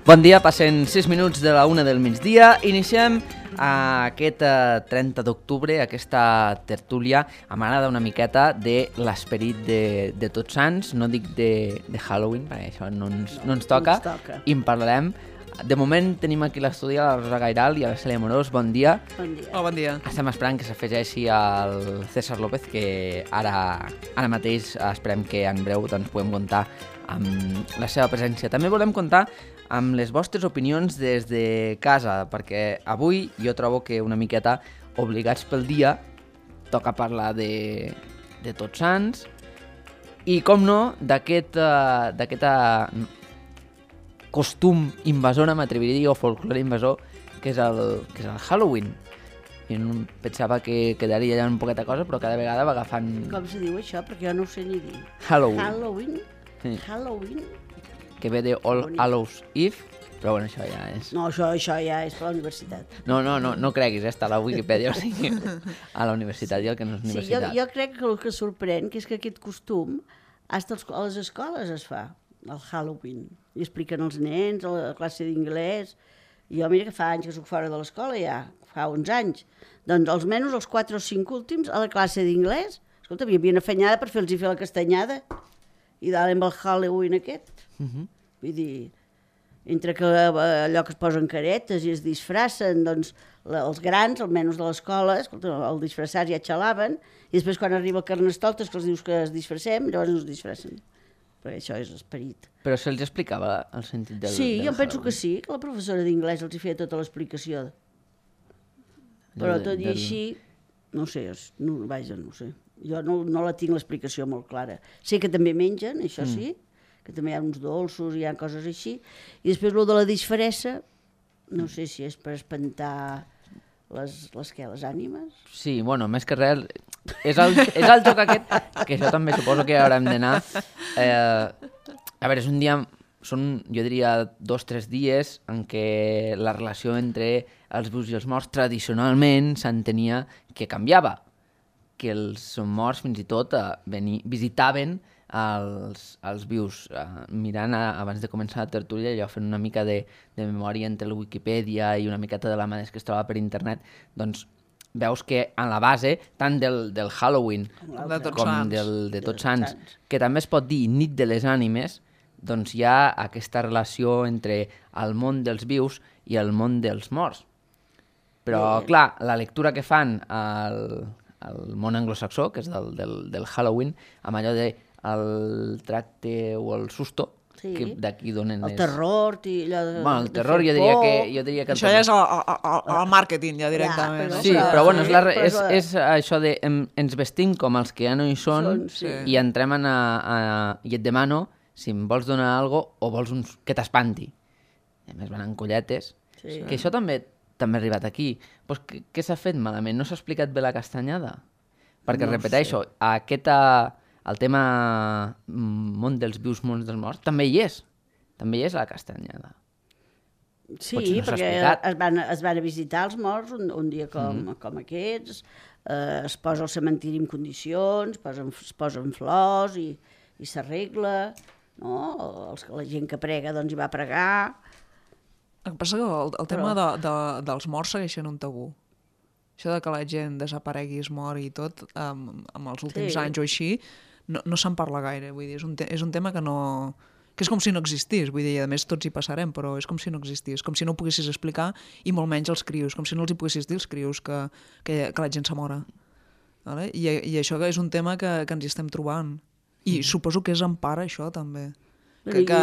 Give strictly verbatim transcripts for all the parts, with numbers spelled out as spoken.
Bon dia, passen sis minuts de la una del migdia. Iniciem aquest trenta d'octubre, aquesta tertúlia. M'agrada una miqueta de l'esperit de, de Tots Sants, no dic de, de Halloween, perquè això no ens, no ens toca, no ens toca. I en parlarem. De moment tenim aquí a l'estudi a la Rosa Gairal i a la Cèlia Amorós. Bon dia. Bon dia. Oh, bon dia. Estem esperant que s'afegeixi el César López, que ara, ara mateix esperem que en breu doncs, puguem comptar amb la seva presència. També volem comptar amb les vostres opinions des de casa, perquè avui jo trobo que una miqueta obligats pel dia toca parlar de, de Tots Sants i, com no, d'aquest uh, d'aquest uh, costum invasor, m'atreviria a dir, o folklore invasor, que és el, que és el Halloween. Jo no pensava que quedaria allà un poqueta cosa, però cada vegada va agafant... Com se diu això? Perquè jo no ho sé ni dir. Halloween. Halloween? Sí. Halloween? Que ve de All Hallows Eve, però bueno, això ja és... No, això, això ja és per la universitat. No, no, no, no creguis, eh? Està a la Wikipedia, o sigui, a la universitat i el que no és Sí, jo, universitat. jo crec que el que sorprèn que és que aquest costum fins a les escoles es fa, el Halloween. I expliquen als nens, a la classe d'inglès. Jo, mira que fa anys que soc fora de l'escola ja, fa uns anys. Doncs almenys els quatre o cinc últims a la classe d'inglès, escolta, hi havia una afanyada per fer-los fer la castanyada i dalt amb el Halloween aquest. Uh -huh. Vull dir, entre que allò que es posen caretes i es disfracen, doncs la, els grans, almenys de l'escola, escolta, el disfressar ja xalaven, i després quan arriba el Carnestoltes, que els dius que es disfressem, llavors no es disfressen. Perquè això és esperit. Però se'ls explicava el sentit del Sí, del jo penso Halloween. que sí, que la professora d'inglès els hi feia tota l'explicació. Però Del- tot i del- així, no sé, és- no, vaja, no ho sé. Jo no, no la tinc l'explicació molt clara. Sé que també mengen, això Mm. sí, que també hi ha uns dolços, hi ha coses així. I després el de la disfressa, no sé si és per espantar les, les, què, les ànimes. Sí, bueno, més que res, és el, és el joc aquest, que això també suposo que haurem d'anar. Eh, a veure, és un dia, són, jo diria, dos o tres dies en què la relació entre els vius i els morts tradicionalment s'entenia que canviava, que els morts fins i tot eh, veni, visitaven els, els vius. Eh, mirant, a, abans de començar la tertúlia, jo fent una mica de, de memòria entre la Wikipedia i una miqueta de la mà que es troba per internet, doncs veus que en la base, tant del, del Halloween De Tots com Sants. del, de De Tots Tots Sants, Sants. que també es pot dir nit de les ànimes, doncs hi ha aquesta relació entre el món dels vius i el món dels morts. Però, Bé. clar, la lectura que fan al, al món anglosaxó, que és del, del, del Halloween, amb allò de el tracte o el susto, Sí. que d'aquí donen... El les- terror, i allò de, Bueno, el de terror fer jo diria por. que... Jo diria que el Això ja és el, el, el màrqueting, ja directament. però- no? Sí, però- però bueno, és, la, però és, és la- és això de em, ens vestim com els que ja no hi són, Són, sí. i entrem a, a, i et demano si em vols donar alguna cosa o vols uns, que t'espanti. I a més van en colletes. Sí. Que això també també ha arribat aquí. Pues, què què s'ha fet malament? No s'ha explicat bé la castanyada? Perquè, No ho repeteixo, aquesta, el tema mm, món dels vius, món dels morts, també hi és. També hi és a la castanyada. Sí, Potser no s'ha perquè explicat. es van, es van a visitar els morts un, un dia com, Mhm. mm. com aquests, eh, es posa al cementiri en condicions, posen, es posen flors i, i s'arregla, no? Els, la gent que prega doncs hi va a pregar. El que passa que el, el tema Però- de, de, dels morts segueix sent un tabú. Això de que la gent desaparegui, es mori i tot, um, amb els últims Sí. anys o així, no, no se'n parla gaire. Vull dir, és un, te és un tema que no... que és com si no existís, vull dir, a més tots hi passarem, però és com si no existís, com si no ho poguessis explicar, i molt menys els crios, com si no els hi poguessis dir als crios que, que, que la gent se mora. Vale? I, I això és un tema que, que ens hi estem trobant. I suposo que és en part això, també. Que, que,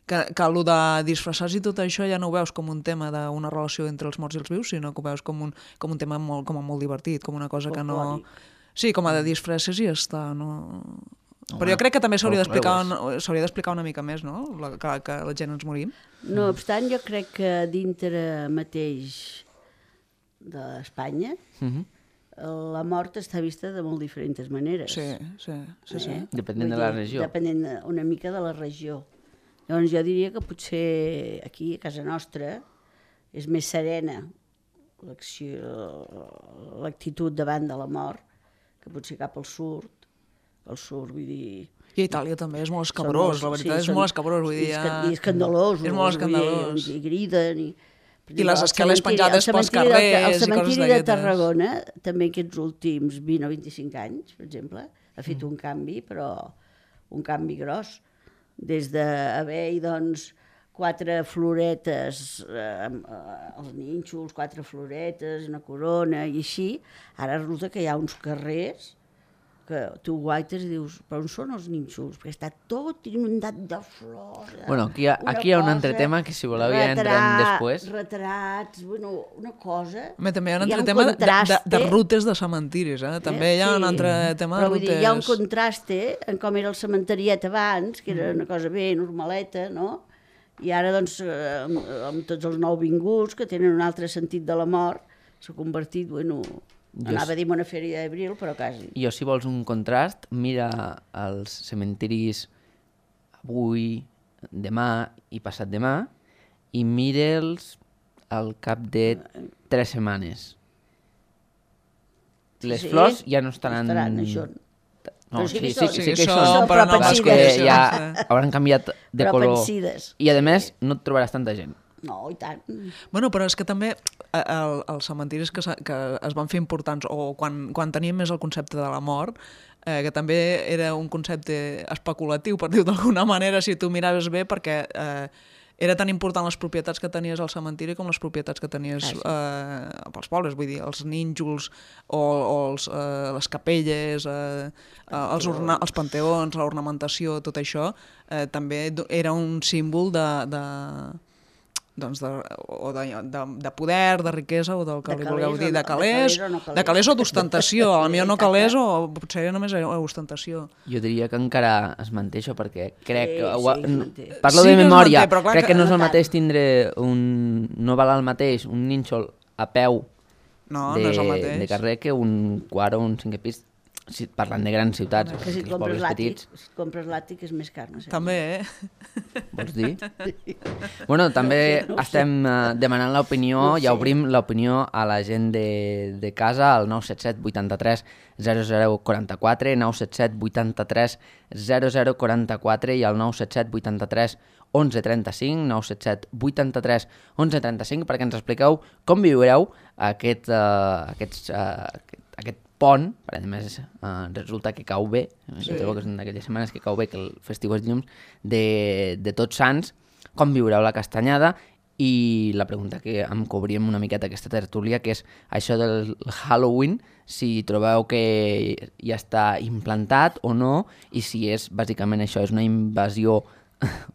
que, que el de disfressar-se i tot això ja no ho veus com un tema d'una relació entre els morts i els vius, sinó que ho veus com un, com un tema molt, com a molt divertit, com una cosa que no... Folclòric. Sí, com a de disfresses i ja està, no... Però Home, jo crec que també s'hauria folclore d'explicar ho s'hauria d'explicar una mica més, no? La, que, que la gent ens morim. No obstant, jo crec que dintre mateix d'Espanya Mhm. la mort està vista de molt diferents maneres. Sí, sí, sí. sí. Eh? Depenent Vull de la dir, regió. Depenent de- una mica de la regió. Llavors jo diria que potser aquí, a casa nostra, és més serena l'acció- l'actitud davant de la mort que potser cap al sud. Al sud, vull dir, I a Itàlia també és molt escabrós, la veritat, és molt escabrós. Vull dir, I escandalós. És molt escandalós. I griden, i... I les escales penjades pels carrers i coses d'aquestes. El cementiri de Tarragona, també aquests últims vint o vint-i-cinc anys, per exemple, ha fet un canvi, però un canvi gros. Des d'haver-hi, doncs, quatre floretes, eh, els nínxols, quatre floretes, una corona i així, ara resulta que hi ha uns carrers que tu guaites i dius, però on són els nínxols? Perquè està tot inundat de flors. Bueno, aquí hi ha, aquí hi ha un altre tema que si voleu ja entrem després. Retrats, bueno, una cosa... Home, també hi ha un altre tema de, de, de rutes de cementiris, eh? També hi ha un altre tema de rutes... Però vull dir, hi ha un contraste en com era el cementeriet abans, que era una cosa bé normaleta, no? I ara, doncs, amb, amb tots els nouvinguts que tenen un altre sentit de la mort, s'ha convertit, bueno... Anava a dir una fèria d'abril, però quasi. Jo, si vols un contrast, mira els cementiris avui, demà i passat demà i mira'ls al cap de tres setmanes. Les sí, flors ja no estaran... Estaran, això. No, sí, sí, sí, sí, sí, sí que hi són, són, però no, és que ja hauran canviat de però color. Pensides. I, a més, no et trobaràs tanta gent. No, i tant. Bueno, però és que també el, els cementiris que, que es van fer importants, o quan, quan teníem més el concepte de la mort, eh, que també era un concepte especulatiu, per dir-ho d'alguna manera, si tu miraves bé, perquè eh, era tan important les propietats que tenies al cementiri com les propietats que tenies eh, pels pobles, vull dir, els nínxols o, o els, eh, les capelles, eh, els, orna, els panteons, l'ornamentació, tot això, eh, també era un símbol de... de doncs de, o de, de, de poder, de riquesa, o del que li vulgueu dir, de calés, de calés o d'ostentació, a mi no calés o potser només ostentació. Jo diria que encara es manté això, perquè crec... Sí, que, sí, parlo sí de memòria, manté, crec que, que no és el no mateix tindre un... no val el mateix un nínxol a peu no, de, no és el mateix. de carrer que un quart o un cinquè pis, si parlant de grans ciutats, que si et els compres pobles l'àtic, petits. si et compres l'àtic és més car, no sé. També, eh? Vols dir? Bueno, també no sé, no estem uh, demanant l'opinió, no ja obrim l'opinió a la gent de, de casa, al nou set set vuitanta-tres zero zero quaranta-quatre, nou set set vuitanta-tres zero zero quaranta-quatre i al nou set set vuitanta-tres onze trenta-cinc, nou set set vuitanta-tres onze trenta-cinc, perquè ens expliqueu com viureu aquest, uh, aquests, uh, aquest, aquest pont, per a més uh, resulta que cau bé, sí. Que és una d'aquelles setmanes que cau bé, que el festiu és dilluns, de, de Tots Sants, com viureu la castanyada, i la pregunta que em cobríem una miqueta aquesta tertúlia, que és això del Halloween, si trobeu que ja està implantat o no, i si és, bàsicament, això és una invasió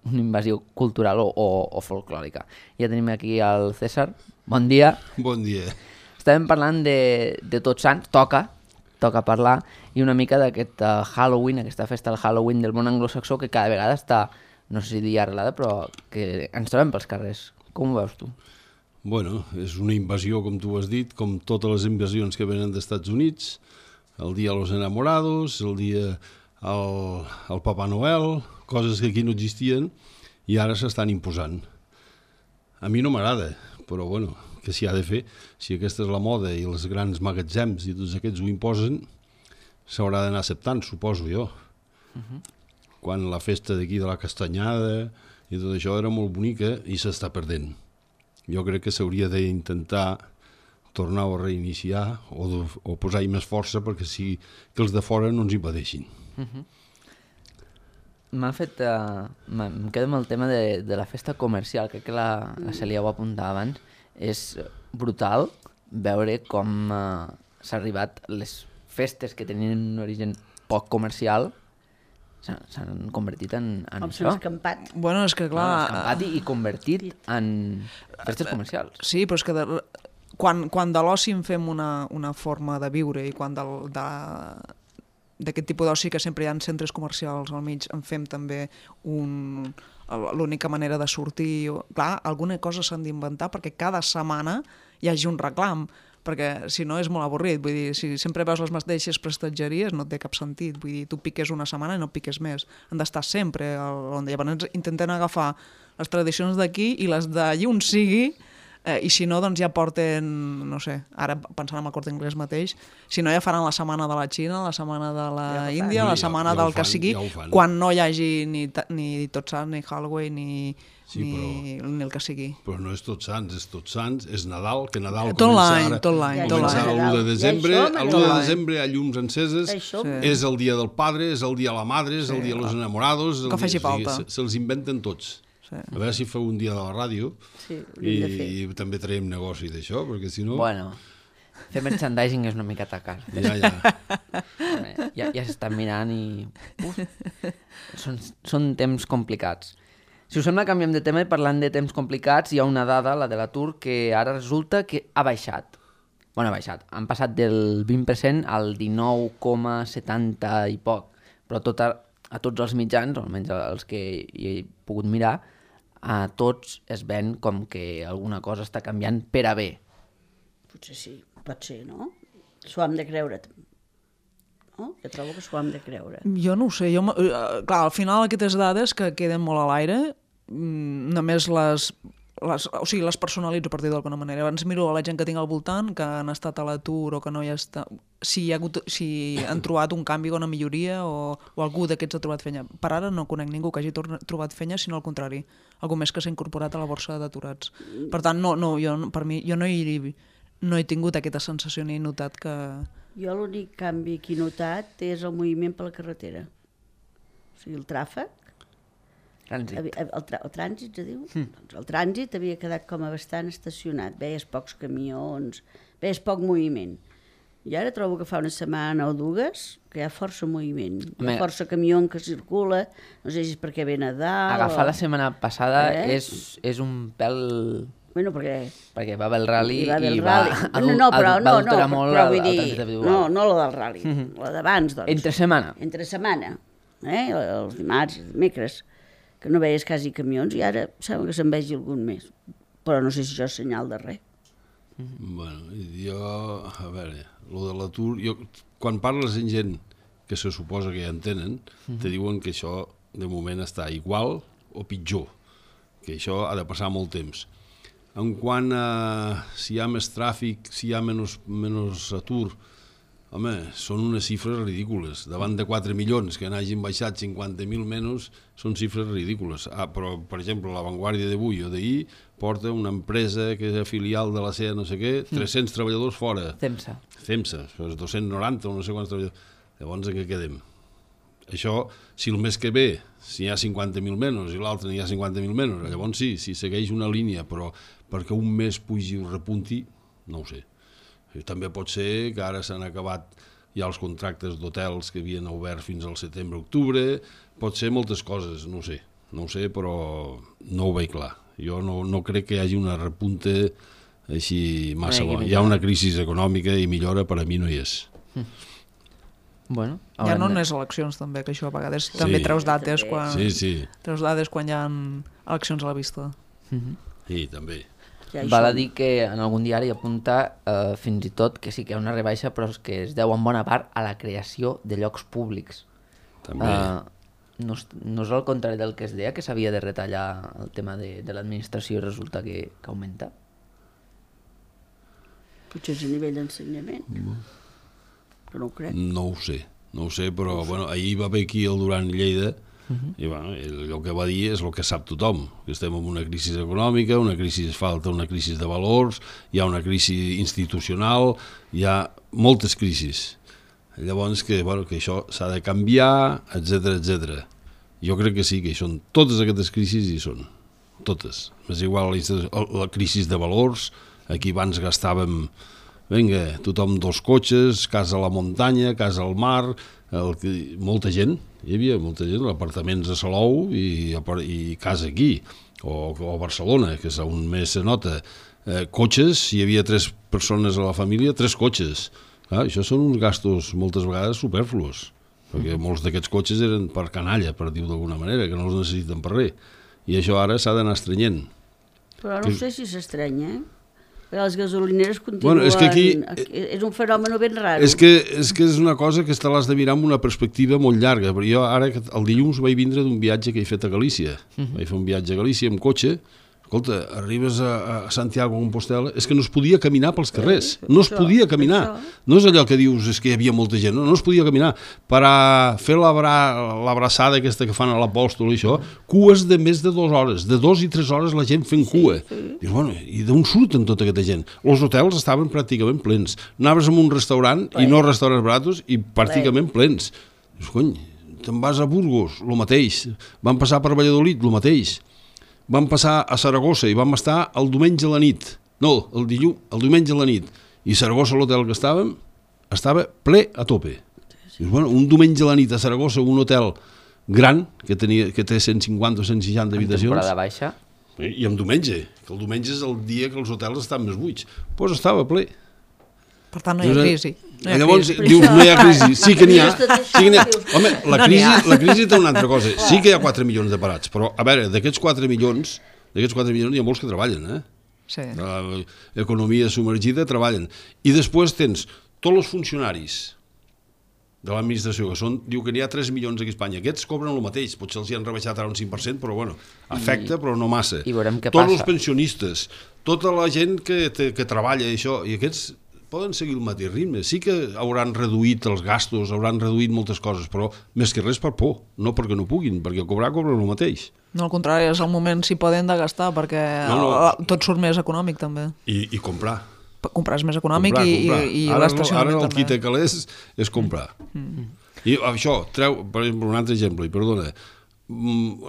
una invasió cultural o, o, o folclòrica. Ja tenim aquí el César. Bon dia. Bon dia. Estàvem parlant de, de Tots Sants, toca, toca parlar, i una mica d'aquest uh, Halloween, aquesta festa del Halloween del món anglosaxó, que cada vegada està, no sé si dir arrelada, però que ens trobem pels carrers. Com ho veus tu? Bueno, és una invasió, com tu has dit, com totes les invasions que venen dels Estats Units, el dia de los enamorados, el dia al, al Papa Noel, coses que aquí no existien i ara s'estan imposant. A mi no m'agrada, però bueno, que s'hi ha de fer. Si aquesta és la moda i els grans magatzems i tots aquests ho imposen, s'haurà d'anar acceptant, suposo jo. Uh-huh. Quan la festa d'aquí de la castanyada i tot això era molt bonica i s'està perdent. Jo crec que s'hauria d'intentar tornar a reiniciar o, de, o posar-hi més força perquè si, que els de fora no ens impedeixin. Uh-huh. M'ha fet... Uh, em quedo amb el tema de, de la festa comercial, crec que la, la Celia ho apuntava abans. És brutal veure com uh, s'ha arribat, les festes que tenien un origen poc comercial s'han convertit en, en com això. s'han escampat. Bueno, és que clar... No, escampat i, i convertit en festes comercials. Sí, però és que de, quan, quan de l'oci en fem una, una forma de viure i quan de, de, d'aquest tipus d'oci que sempre hi ha centres comercials al mig en fem també un... l'única manera de sortir... Clar, alguna cosa s'han d'inventar perquè cada setmana hi hagi un reclam, perquè si no és molt avorrit. Vull dir, si sempre veus les mateixes prestatgeries no té cap sentit. Vull dir, tu piques una setmana i no piques més. Han d'estar sempre on llavors intenten agafar les tradicions d'aquí i les d'allí on sigui Eh, I si no, doncs ja porten, no sé, ara pensant en el Corte Inglés mateix, si no ja faran la setmana de la Xina, la setmana de la Ja ho fan. Índia, la Ja- setmana ja ho del que fan, sigui, ja ho fan. quan no hi hagi ni, ta- ni Tots Sants, ni Halloween, ni, Sí, ni, ni el que sigui. Però no és Tots Sants, és Tots Sants, és Nadal, que Nadal Tot comença l'any, ara. tot l'any, Ja, tot Comença l'any. l'u de Ja desembre, hi som, l'u tot de l'any. desembre hi ha llums enceses, Ja hi som. Sí. és el dia del padre, és el dia de la madre, és el dia de los enamorados... el Que faci dia- o sigui, falta. se- Se'ls inventen tots. Sí. A veure si feu un dia de la ràdio Sí, ho i, hem de fer. i també traiem negoci d'això, perquè si no... Bueno, fer merchandising és una mica atacar. Ja, ja. Ja, ja s'estan mirant i... Uf, són, són temps complicats. Si us sembla, canviem de tema i parlant de temps complicats, hi ha una dada, la de l'atur, que ara resulta que ha baixat. Bueno, ha baixat. Han passat del vint per cent al dinou coma setanta i poc. Però tot a, a tots els mitjans, o almenys els que hi he pogut mirar, a tots es ven com que alguna cosa està canviant per a bé. Potser sí, pot ser, no? S'ho hem de creure. No? Jo trobo que s'ho hem de creure. Jo no ho sé, jo, m- eh, clar, al final aquestes dades que queden molt a l'aire, mm, només les, les, o sigui, les personalitzo per dir d'alguna manera. Abans miro a la gent que tinc al voltant, que han estat a l'atur o que no hi està... Si, hi ha hagut, si han trobat un canvi o una milloria o, o algú d'aquests ha trobat feina. Per ara no conec ningú que hagi torna, trobat feina, sinó al contrari, algú més que s'ha incorporat a la borsa d'aturats. Per tant, no, no, jo, per mi, jo no hi, no he tingut aquesta sensació ni he notat que... Jo l'únic canvi que he notat és el moviment per la carretera. O sigui, el tràfic, Trànsit. el, el, tra el trànsit, es diu? Mm. Doncs el trànsit havia quedat com a bastant estacionat. Veies pocs camions, veies poc moviment. I ara trobo que fa una setmana o dues que hi ha força moviment. Hi Home. ha força camió que circula, no sé si és perquè ve Nadal... Agafar o... la setmana passada Eh? és, és un pèl... Bueno, perquè... Perquè va haver el rally Hi va haver i el va, rally. adul- no, no, però, va no, no, alterar però, molt però el- vull el dir... trànsit individual. No, no la del rally, la d'abans, doncs. Entre setmana. Entre setmana, eh? Els dimarts, els dimecres, que no veies quasi camions i ara sembla que se'n vegi algun més. Però no sé si això és senyal de res. Bueno, jo, a veure, lo de l'atur, jo, quan parles amb gent que se suposa que ja en tenen, te diuen que això de moment està igual o pitjor, que això ha de passar molt temps. En quant a si hi ha més tràfic, si hi ha menys, menys atur, home, són unes xifres ridícules. Davant de quatre milions que n'hagin baixat cinquanta mil menys, són xifres ridícules. Ah, però, per exemple, la Vanguardia d'avui o d'ahir porta una empresa que és filial de la C E A no sé què, tres-cents treballadors fora. Temsa. CEMSA, dos-cents noranta o no sé quants treballadors. Llavors, en què quedem? Això, si el mes que ve, si hi ha cinquanta mil menys i l'altre n'hi ha cinquanta mil menys, llavors sí, si segueix una línia, però perquè un mes pugi o repunti, no ho sé. I també pot ser que ara s'han acabat ja els contractes d'hotels que havien obert fins al setembre-octubre, pot ser moltes coses, no ho sé, no ho sé, però no ho veig clar. Jo no, no crec que hi hagi una repunte així massa Una bona. Hi ha una crisi econòmica i millora per a mi no hi és. Bueno, Ja haurem no de- unes eleccions també, que això a vegades Sí. també treus dates També. quan, Sí, sí, treus dades quan hi ha eleccions a la vista. i també. Ja hi Val a som. dir que en algun diari apunta eh, fins i tot que sí que hi ha una rebaixa, però és que es deu en bona part a la creació de llocs públics. També. Eh, no, és, no és al contrari del que es deia, que s'havia de retallar el tema de, de l'administració i resulta que, que augmenta. Potser és a nivell d'ensenyament. Però no ho crec. No ho sé, no ho sé, però bueno, ahir va haver aquí el Duran Lleida i bueno, ell, el que va dir és el que sap tothom, que estem en una crisi econòmica, una crisi falta, una crisi de valors, hi ha una crisi institucional, hi ha moltes crisis. Llavors que, bueno, que això s'ha de canviar, etcètera, etcètera. Jo crec que sí, que hi són totes aquestes crisis, hi són, totes. És igual la, institu- la crisi de valors, aquí abans gastàvem, vinga, tothom dos cotxes, casa a la muntanya, casa al mar, el, que- molta gent, hi havia molta gent, apartaments a Salou i, i casa aquí, o, o a Barcelona, que és on més se nota. Eh, cotxes, hi havia tres persones a la família, tres cotxes. Clar, això són uns gastos moltes vegades superfluos, perquè molts d'aquests cotxes eren per canalla, per dir-ho d'alguna manera, que no els necessiten per res. I això ara s'ha d'anar estrenyent. Però no sé si s'estranya, eh? Perquè les gasolineres continuen... Bueno, és que aquí- És un fenomen ben raro. És que, és que és una cosa que te l'has de mirar amb una perspectiva molt llarga, però jo ara, el dilluns vaig vindre d'un viatge que he fet a Galícia. Uh -huh. Vaig fer un viatge a Galícia amb cotxe, Escolta, arribes a, a Santiago de Compostela, és que no es podia caminar pels carrers, no es podia caminar. No és allò que dius, és que hi havia molta gent, no, no es podia caminar. Per a fer l'abraçada aquesta que fan a l'apòstol i això, cues de més de dues hores, de dues i tres hores la gent fent cua. Dius, bueno, i d'on surten tota aquesta gent? Els hotels estaven pràcticament plens. Anaves a un restaurant, i no restaurants baratos, i pràcticament plens. Dius, cony, te'n vas a Burgos, el mateix. Van passar per Valladolid, el mateix. Vam passar a Saragossa i vam estar el diumenge a la nit. No, el dilluns, el diumenge a la nit. I Saragossa, l'hotel que estàvem, estava ple a tope. Dius, bueno, un diumenge a la nit a Saragossa, un hotel gran, que, tenia, que té cent cinquanta o cent seixanta habitacions. En temporada baixa. I en diumenge, que el diumenge és el dia que els hotels estan més buits. Doncs pues estava ple. Per tant, no hi ha crisi. No hi ha Llavors, crisi. dius, no hi ha crisi. Sí que n'hi ha. Sí que n'hi ha. Home, la crisi, la crisi té una altra cosa. Sí que hi ha quatre milions de parats, però, a veure, d'aquests quatre milions, d'aquests quatre milions hi ha molts que treballen, eh? Sí. L'economia submergida treballen. I després tens tots els funcionaris de l'administració, que són, diu que n'hi ha tres milions aquí a Espanya. Aquests cobren el mateix, potser els hi han rebaixat ara un cinc per cent, però bueno, afecta, però no massa. I veurem què Tots passa. els pensionistes, tota la gent que, te, que treballa i això, i aquests poden seguir el mateix ritme. Sí que hauran reduït els gastos, hauran reduït moltes coses, però més que res per por, no perquè no puguin, perquè cobrar cobren el mateix. No, al contrari, és el moment si poden de gastar, perquè No, no. tot surt més econòmic, també. I, i comprar. Comprar és més econòmic comprar, i, comprar. i, i ara, l'estacionament ara el també. qui té calés és comprar. Mm. I això, treu, per exemple, un altre exemple, i perdona,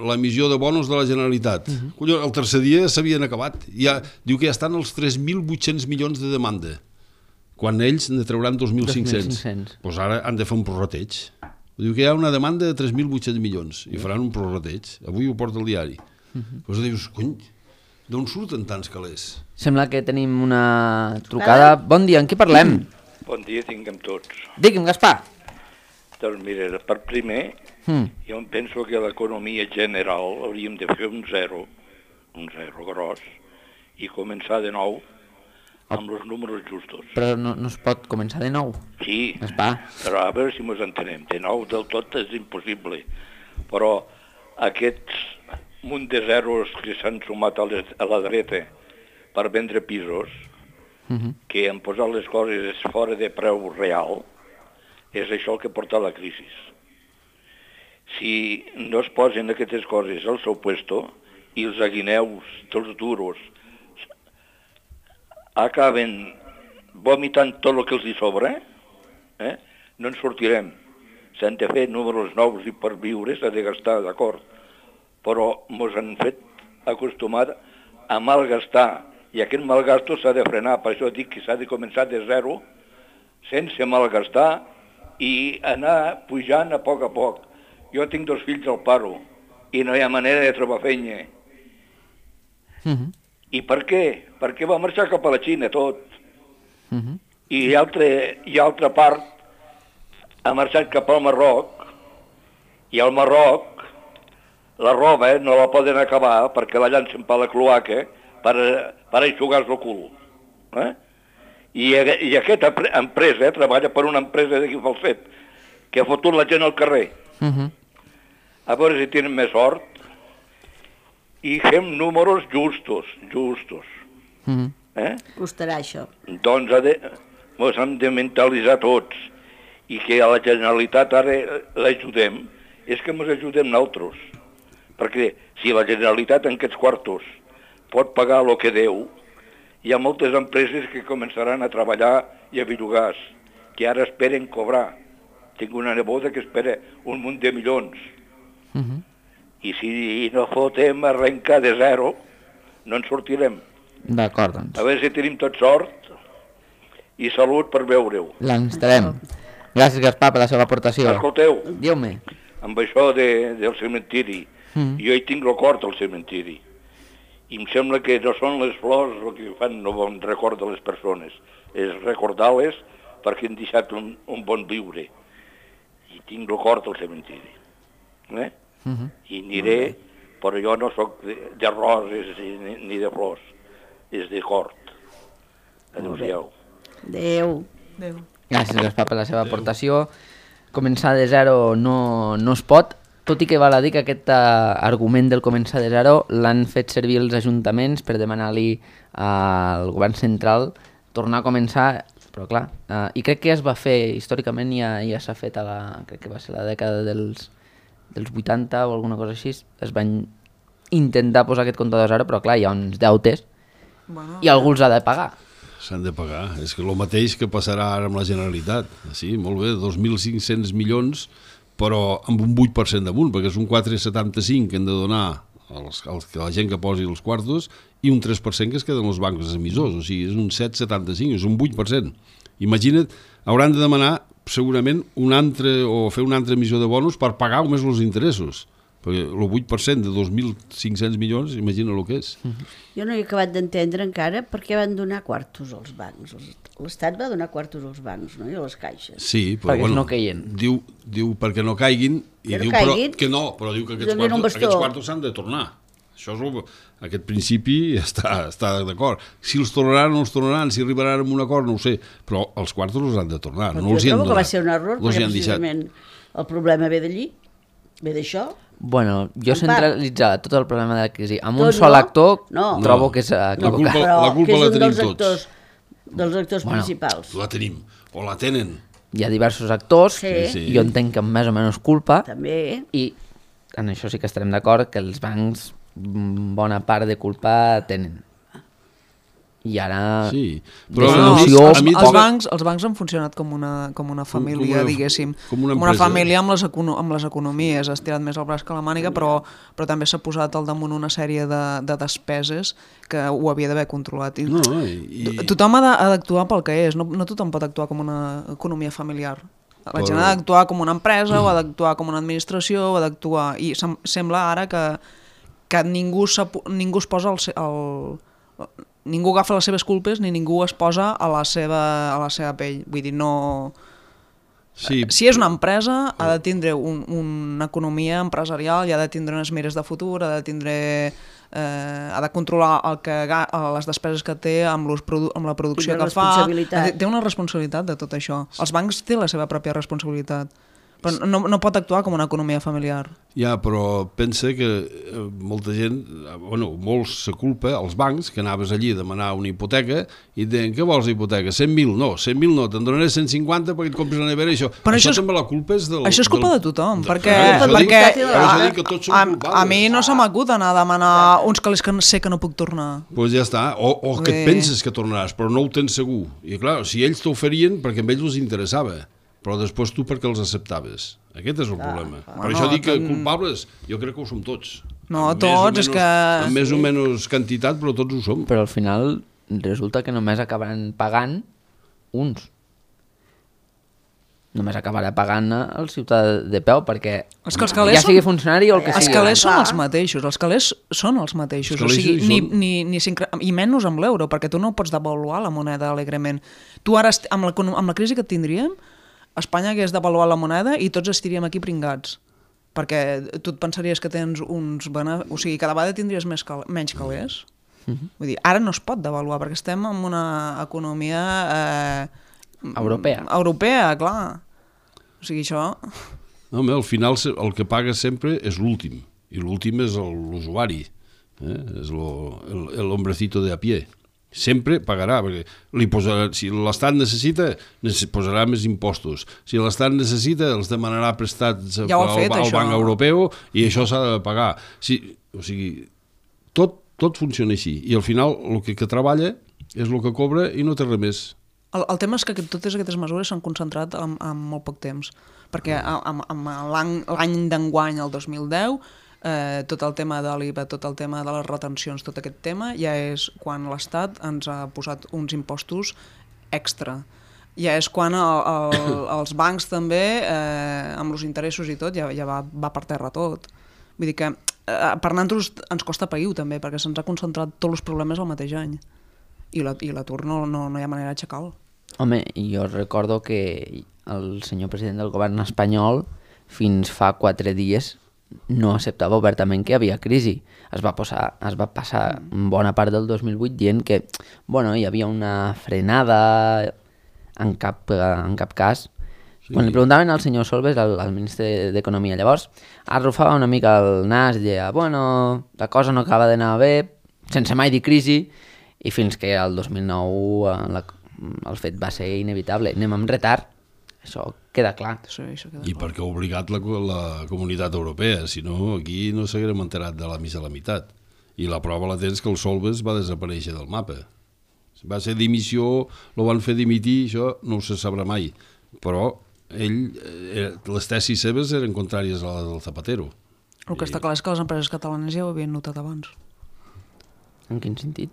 l'emissió de bonos de la Generalitat. Mm-hmm. Collons, el tercer dia s'havien acabat. Ja, diu que ja estan els tres mil vuit-cents milions de demanda, quan ells ne trauran dos mil cinc-cents. Doncs pues ara han de fer un prorrateig. Diu que hi ha una demanda de tres mil vuit-cents milions i faran un prorrateig. Avui ho porta el diari. Mm-hmm. Pues dius, cony, d'on surten tants calés? Sembla que tenim una trucada. Bon dia, en què parlem? Bon dia tinguem tots. Digui'm, Gaspar. Doncs mira, per primer, Mm. jo em penso que l'economia general hauríem de fer un zero, un zero gros, i començar de nou amb els números justos. Però no, no es pot començar de nou. Sí, Gaspar. però a veure si ens entenem. De nou del tot és impossible. Però aquests munt de zeros que s'han sumat a, les, a la dreta per vendre pisos, Mm-hmm. que han posat les coses fora de preu real, és això el que porta a la crisi. Si no es posen aquestes coses al seu puesto i els aguineus dels duros acaben vomitant tot el que els hi sobra, eh? no en sortirem. S'han de fer números nous i per viure s'ha de gastar, d'acord, però ens han fet acostumar a malgastar, i aquest malgasto s'ha de frenar. Per això dic que s'ha de començar de zero, sense malgastar, i anar pujant a poc a poc. Jo tinc dos fills al paro i no hi ha manera de trobar feina. Mm-hmm. I per què? Perquè va marxar cap a la Xina tot. Mm-hmm. I altra, i altra part ha marxat cap al Marroc, i al Marroc la roba eh, no la poden acabar perquè la llancen per la cloaca per, per aixugar-se el cul. Eh? I, I aquesta empresa eh, treballa per una empresa d'aquí Falset que ha fotut la gent al carrer. Mm-hmm. A veure si tenen més sort i fem números justos, justos. Mm-hmm. Eh? Costarà això. Doncs ha de, ens hem de mentalitzar tots i que a la Generalitat ara l'ajudem, és que ens ajudem nosaltres. Perquè si la Generalitat en aquests quartos pot pagar el que deu, hi ha moltes empreses que començaran a treballar i a bellugar, que ara esperen cobrar. Tinc una neboda que espera un munt de milions. Mm-hmm. I si no fotem arrencar de zero, no en sortirem. D'acord, doncs. A veure si tenim tot sort i salut per veure-ho. L'enstarem. Gràcies, Gaspar, per la seva aportació. Escolteu, Diu-me. amb això de, del cementiri, Mm. jo hi tinc record al cementiri. I em sembla que no són les flors el que fan no bon record de les persones, és recordar-les perquè han deixat un, un bon viure. I tinc record al cementiri. Eh? Mm-hmm. I aniré, però jo no sóc de, de roses ni, ni de flors, és de cort. Adéu-siau. Adéu. Adéu. Gràcies, Gaspar, per la seva aportació. Començar de zero no, no es pot, tot i que val a dir que aquest uh, argument del començar de zero l'han fet servir els ajuntaments per demanar-li al govern central tornar a començar, però clar, uh, i crec que ja es va fer, històricament ja, ja s'ha fet a la, crec que va ser la dècada dels, dels vuitanta o alguna cosa així, es van intentar posar aquest comptador a zero, però clar, hi ha uns deutes bueno, i algú els ha de pagar. S'han de pagar. És que el mateix que passarà ara amb la Generalitat. Sí, molt bé, dos mil cinc-cents milions, però amb un vuit per cent damunt, perquè és un quatre coma setanta-cinc que hem de donar als, als, a la gent que posi els quartos i un tres per cent que es queden els bancs emissors. O sigui, és un set coma setanta-cinc, és un vuit per cent. Imagina't, hauran de demanar segurament un altre, o fer una altra emissió de bonus per pagar només els interessos. Perquè el vuit per cent de dos mil cinc-cents milions, imagina el que és. Jo no he acabat d'entendre encara per què van donar quartos als bancs. L'Estat va donar quartos als bancs, no? I a les caixes. Sí, però perquè bueno, no caiguin. Diu, diu perquè no caiguin, i que no diu caiguin? Però, que no, però diu que aquests Donin un quartos, bastó. aquests quartos s'han de tornar. Això és el, aquest principi està, està d'acord. Si els tornaran o no els tornaran, si arribaran a un acord, no ho sé, però els quartos els han de tornar. Però no els hi han trobo que donat. va ser un error, no perquè precisament el problema ve d'allí, ve d'això. Bueno, jo En centralitzar tot el problema de la crisi amb un Tot sol no? actor No. trobo No. que és La equivocat. culpa- Però la culpa que és la un tenim dels tots. actors, dels actors Bueno, principals. La tenim, o la tenen. Hi ha diversos actors, Sí. Sí. jo entenc que amb més o menys culpa, També. i en això sí que estarem d'acord que els bancs mm, bona part de culpa tenen. I ara... Sí, però No, a mi- els, a els, mi els, poca- bancs, els bancs han funcionat com una, com una família, com una- diguéssim. com una com una empresa. família amb les, econo amb les economies. Has tirat més el braç que la màniga, però, però també s'ha posat al damunt una sèrie de, de despeses que ho havia d'haver controlat. I, No, i... to- Tothom ha de- ha d'actuar pel que és, no, no tothom pot actuar com una economia familiar. La gent ha d'actuar com una empresa, o ha d'actuar com una administració, o ha d'actuar... I sem sembla ara que, que ningú, ningú es posa el, se- el, ningú agafa les seves culpes ni ningú es posa a la seva, a la seva pell. Vull dir, no... Sí, Si és una empresa, ha de tindre un, una economia empresarial i ha de tindre unes mires de futur, ha de tindre... Eh, ha de controlar el que, ga- les despeses que té amb, los produ amb la producció I la que fa. responsabilitat. Té- Té una responsabilitat de tot això. Els bancs té la seva pròpia responsabilitat. Però no, no pot actuar com una economia familiar. ja, però pensa que eh, molta gent, eh, bueno, molts se culpa, els bancs, que anaves allí a demanar una hipoteca i et deien, què vols hipoteca? cent mil? No, cent mil no, te'n donaré cent cinquanta perquè et compris la nevera i això. Però això, això és- també la culpa és del... Això és culpa del, de tothom, de- perquè, per això dic- perquè per això dic que tots som a, culpables. a mi no se m'acut anar a demanar uns calés que sé que no puc tornar. Pues ja està, o, o que et Bé. penses que tornaràs, però no ho tens segur. I clar, si ells t'oferien, perquè a ells els interessava, però després tu perquè els acceptaves. Aquest és el problema. Per Bueno, això dic que tant- culpables, jo crec que ho som tots. No, Amb més o tots, és menys- que- Amb més o menys quantitat, però tots ho som. Però al final resulta que només acabaran pagant uns. Només acabarà pagant el ciutadà de peu, perquè És que els calés ja sigui són- funcionari o el que Els sigui. calés són Clar. els mateixos, els calés són els mateixos, Els o calés sigui, hi ni, són. ni, ni s'incre- i menys amb l'euro, perquè tu no pots devaluar la moneda alegrement. Tu ara, est- amb la, amb la crisi que tindríem, Espanya hagués devaluat la moneda i tots estiríem aquí pringats. Perquè tu et pensaries que tens uns... Bene... O sigui, cada vegada tindries més cal... menys calés. Mhm. Vull dir, ara no es pot devaluar, perquè estem en una economia... Eh, Europea. Europea, clar. O sigui, això... No, home, al final se- el que paga sempre és l'últim, i l'últim és el- l'usuari, eh? És lo, el, el hombrecito de a pie. Sempre pagarà, perquè li posarà, si l'Estat necessita, necess- posarà més impostos. Si l'Estat necessita, els demanarà prestats Ja ho ha al, fet, al això. Banc Europeu i això s'ha de pagar. Si, o sigui, tot, tot funciona així. I al final el que, que treballa és el que cobra i no té res més. El, el tema és que aquest- totes aquestes mesures s'han concentrat en, en molt poc temps, perquè amb, amb l'any l'any d'enguany, el dos mil deu, eh, tot el tema de l'I V A, tot el tema de les retencions, tot aquest tema, ja és quan l'Estat ens ha posat uns impostos extra. Ja és quan el, el, els bancs també, eh, amb els interessos i tot, ja, ja va, va per terra tot. Vull dir que eh, per nosaltres ens costa pair també, perquè se'ns ha concentrat tots els problemes al mateix any. I l'atur no, no, no hi ha manera d'aixecar-lo. Home, jo recordo que el senyor president del govern espanyol fins fa quatre dies no acceptava obertament que hi havia crisi. Es va, posar, es va passar bona part del dos mil vuit dient que bueno, hi havia una frenada, en cap, en cap cas Sí. Quan li preguntaven al senyor Solbes, al, al ministre d'Economia llavors, arrufava una mica el nas i deia, bueno, la cosa no acaba d'anar bé, sense mai dir crisi, i fins que el dos mil nou eh, la, el fet va ser inevitable. Anem amb retard, això queda clar. Sí, això queda I clar. perquè ha obligat la, la comunitat europea, si no aquí no s'haguérem enterat de la missa a la meitat. I la prova la tens que el Solbes va desaparèixer del mapa. Va ser dimissió, lo van fer dimitir, això no se sabrà mai. Però ell, eh, les tesis seves eren contràries a les del Zapatero. El que està clar és que les empreses catalanes ja ho havien notat abans. En quin sentit?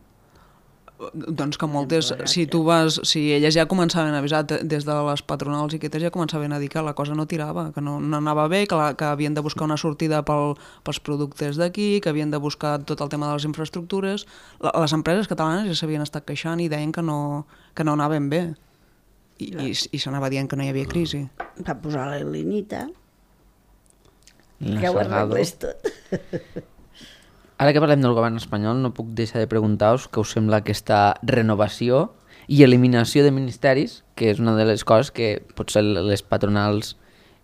Doncs que moltes, si tu vas, si elles ja començaven a avisar des de les patronals i aquestes ja començaven a dir que la cosa no tirava, que no, no anava bé, que, la, que havien de buscar una sortida pel, pels productes d'aquí, que havien de buscar tot el tema de les infraestructures. La, les empreses catalanes ja s'havien estat queixant i deien que no, que no anaven bé. I, i, i s'anava dient que no hi havia crisi. Va posar la linita, La que ho Salgado. arreglés tot. Ara que parlem del govern espanyol, no puc deixar de preguntar-vos què us sembla aquesta renovació i eliminació de ministeris, que és una de les coses que potser les patronals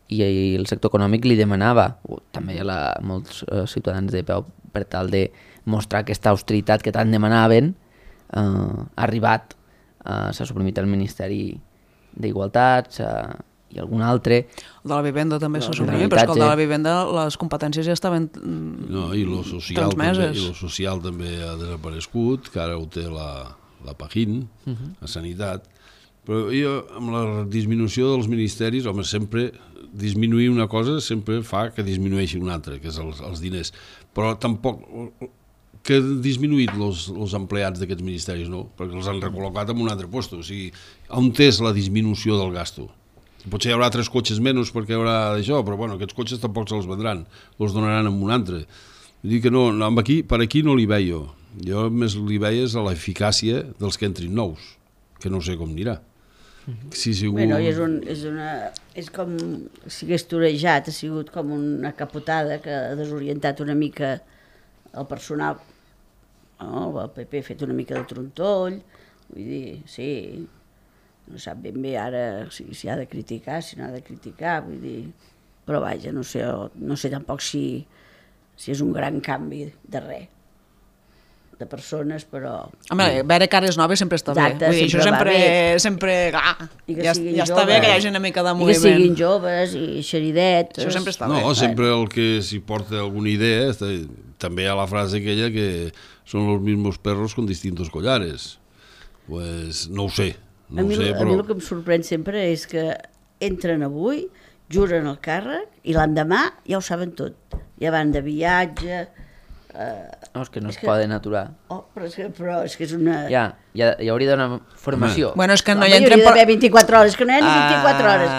i el sector econòmic li demanava, o també a la, molts eh, ciutadans de peu, per tal de mostrar aquesta austeritat que tant demanaven, eh, ha arribat, eh, s'ha suprimit el Ministeri d'Igualtat, s'ha i algun altre. El de la vivenda també s'ha de suprimit, però és que el de la l'habitatge. vivenda les competències ja estaven mm, No, i lo social, també, transmeses. i lo social també ha desaparegut, que ara ho té la, la Pajín, uh -huh. a Sanitat. Però jo, amb la disminució dels ministeris, home, sempre disminuir una cosa sempre fa que disminueixi una altra, que és els, els diners. Però tampoc que han disminuït els empleats d'aquests ministeris, no? Perquè els han recol·locat en un altre lloc. O sigui, on és la disminució del gasto? Potser hi haurà tres cotxes menys perquè hi haurà d'això, però bueno, aquests cotxes tampoc se'ls vendran, els donaran en un altre. Vull dir que no, no aquí, per aquí no li veio. Jo més li veia és a l'eficàcia dels que entrin nous, que no sé com anirà. Si segur... Bueno, és, un, és, una, és com si hagués torejat, ha sigut com una capotada que ha desorientat una mica el personal. Oh, el P P ha fet una mica de trontoll, vull dir, sí, no sap ben bé ara si, si ha de criticar, si no ha de criticar, vull dir, però vaja, no sé, no sé tampoc si, si és un gran canvi de res, de persones, però... Home, veure cares noves sempre està Exacte, bé. Vull dir, això sempre sempre... sempre ah, I que ja, siguin ja està bé joves. que hi hagi una mica de I que moviment. siguin joves i xeridetes. Això sempre està bé. No, sempre el que s'hi porta alguna idea, està, també hi ha la frase aquella que són los mismos perros con distintos collares. Pues no ho sé, no a, ho mi, sé, a però... mi el que em sorprèn sempre és que entren avui, juren el càrrec i l'endemà ja ho saben tot. Ja van de viatge... Eh, No, és que no És es que- poden aturar. oh, però, és que, però és que és una... Ja, ja, hi hauria d'una formació. Bueno, és que no Home, hi hi entrem hauria d'haver per... vint-i-quatre hores, que no hi ha ni Ah, vint-i-quatre hores.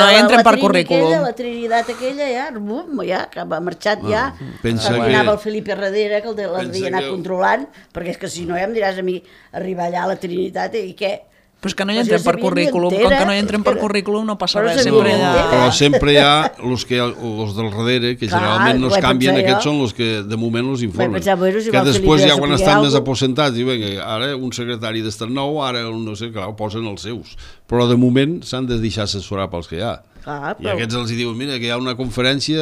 no hi entren per Trini currículum. Aquella, la Trinitat aquella, ja, bum, ja, que ha marxat ja. pensa Perquè que- anava el Felipe darrere, que el de- pensa l'havia d'anar que- controlant, perquè és que si no ja em diràs a mi arribar allà a la Trinitat i què? Però és que no hi Pues entrem jo per sabia ni currículum. entera, Com que no hi entrem és per que- currículum no passa Però res. sabia Sempre ni hi ha... entera. Però sempre hi ha els que els del darrere, que Clar, generalment no ho es he canvien, pensat aquests jo. són els que de moment els informen. pensar, bueno, si que va el després Felipe ja a quan saber estan més algo. aposentats, i vinga, ara un secretari d'estat nou, ara un no sé, clar, posen els seus. Però de moment s'han de deixar assessorar pels que hi ha. Clar, I però, aquests els hi diuen, mira, que hi ha una conferència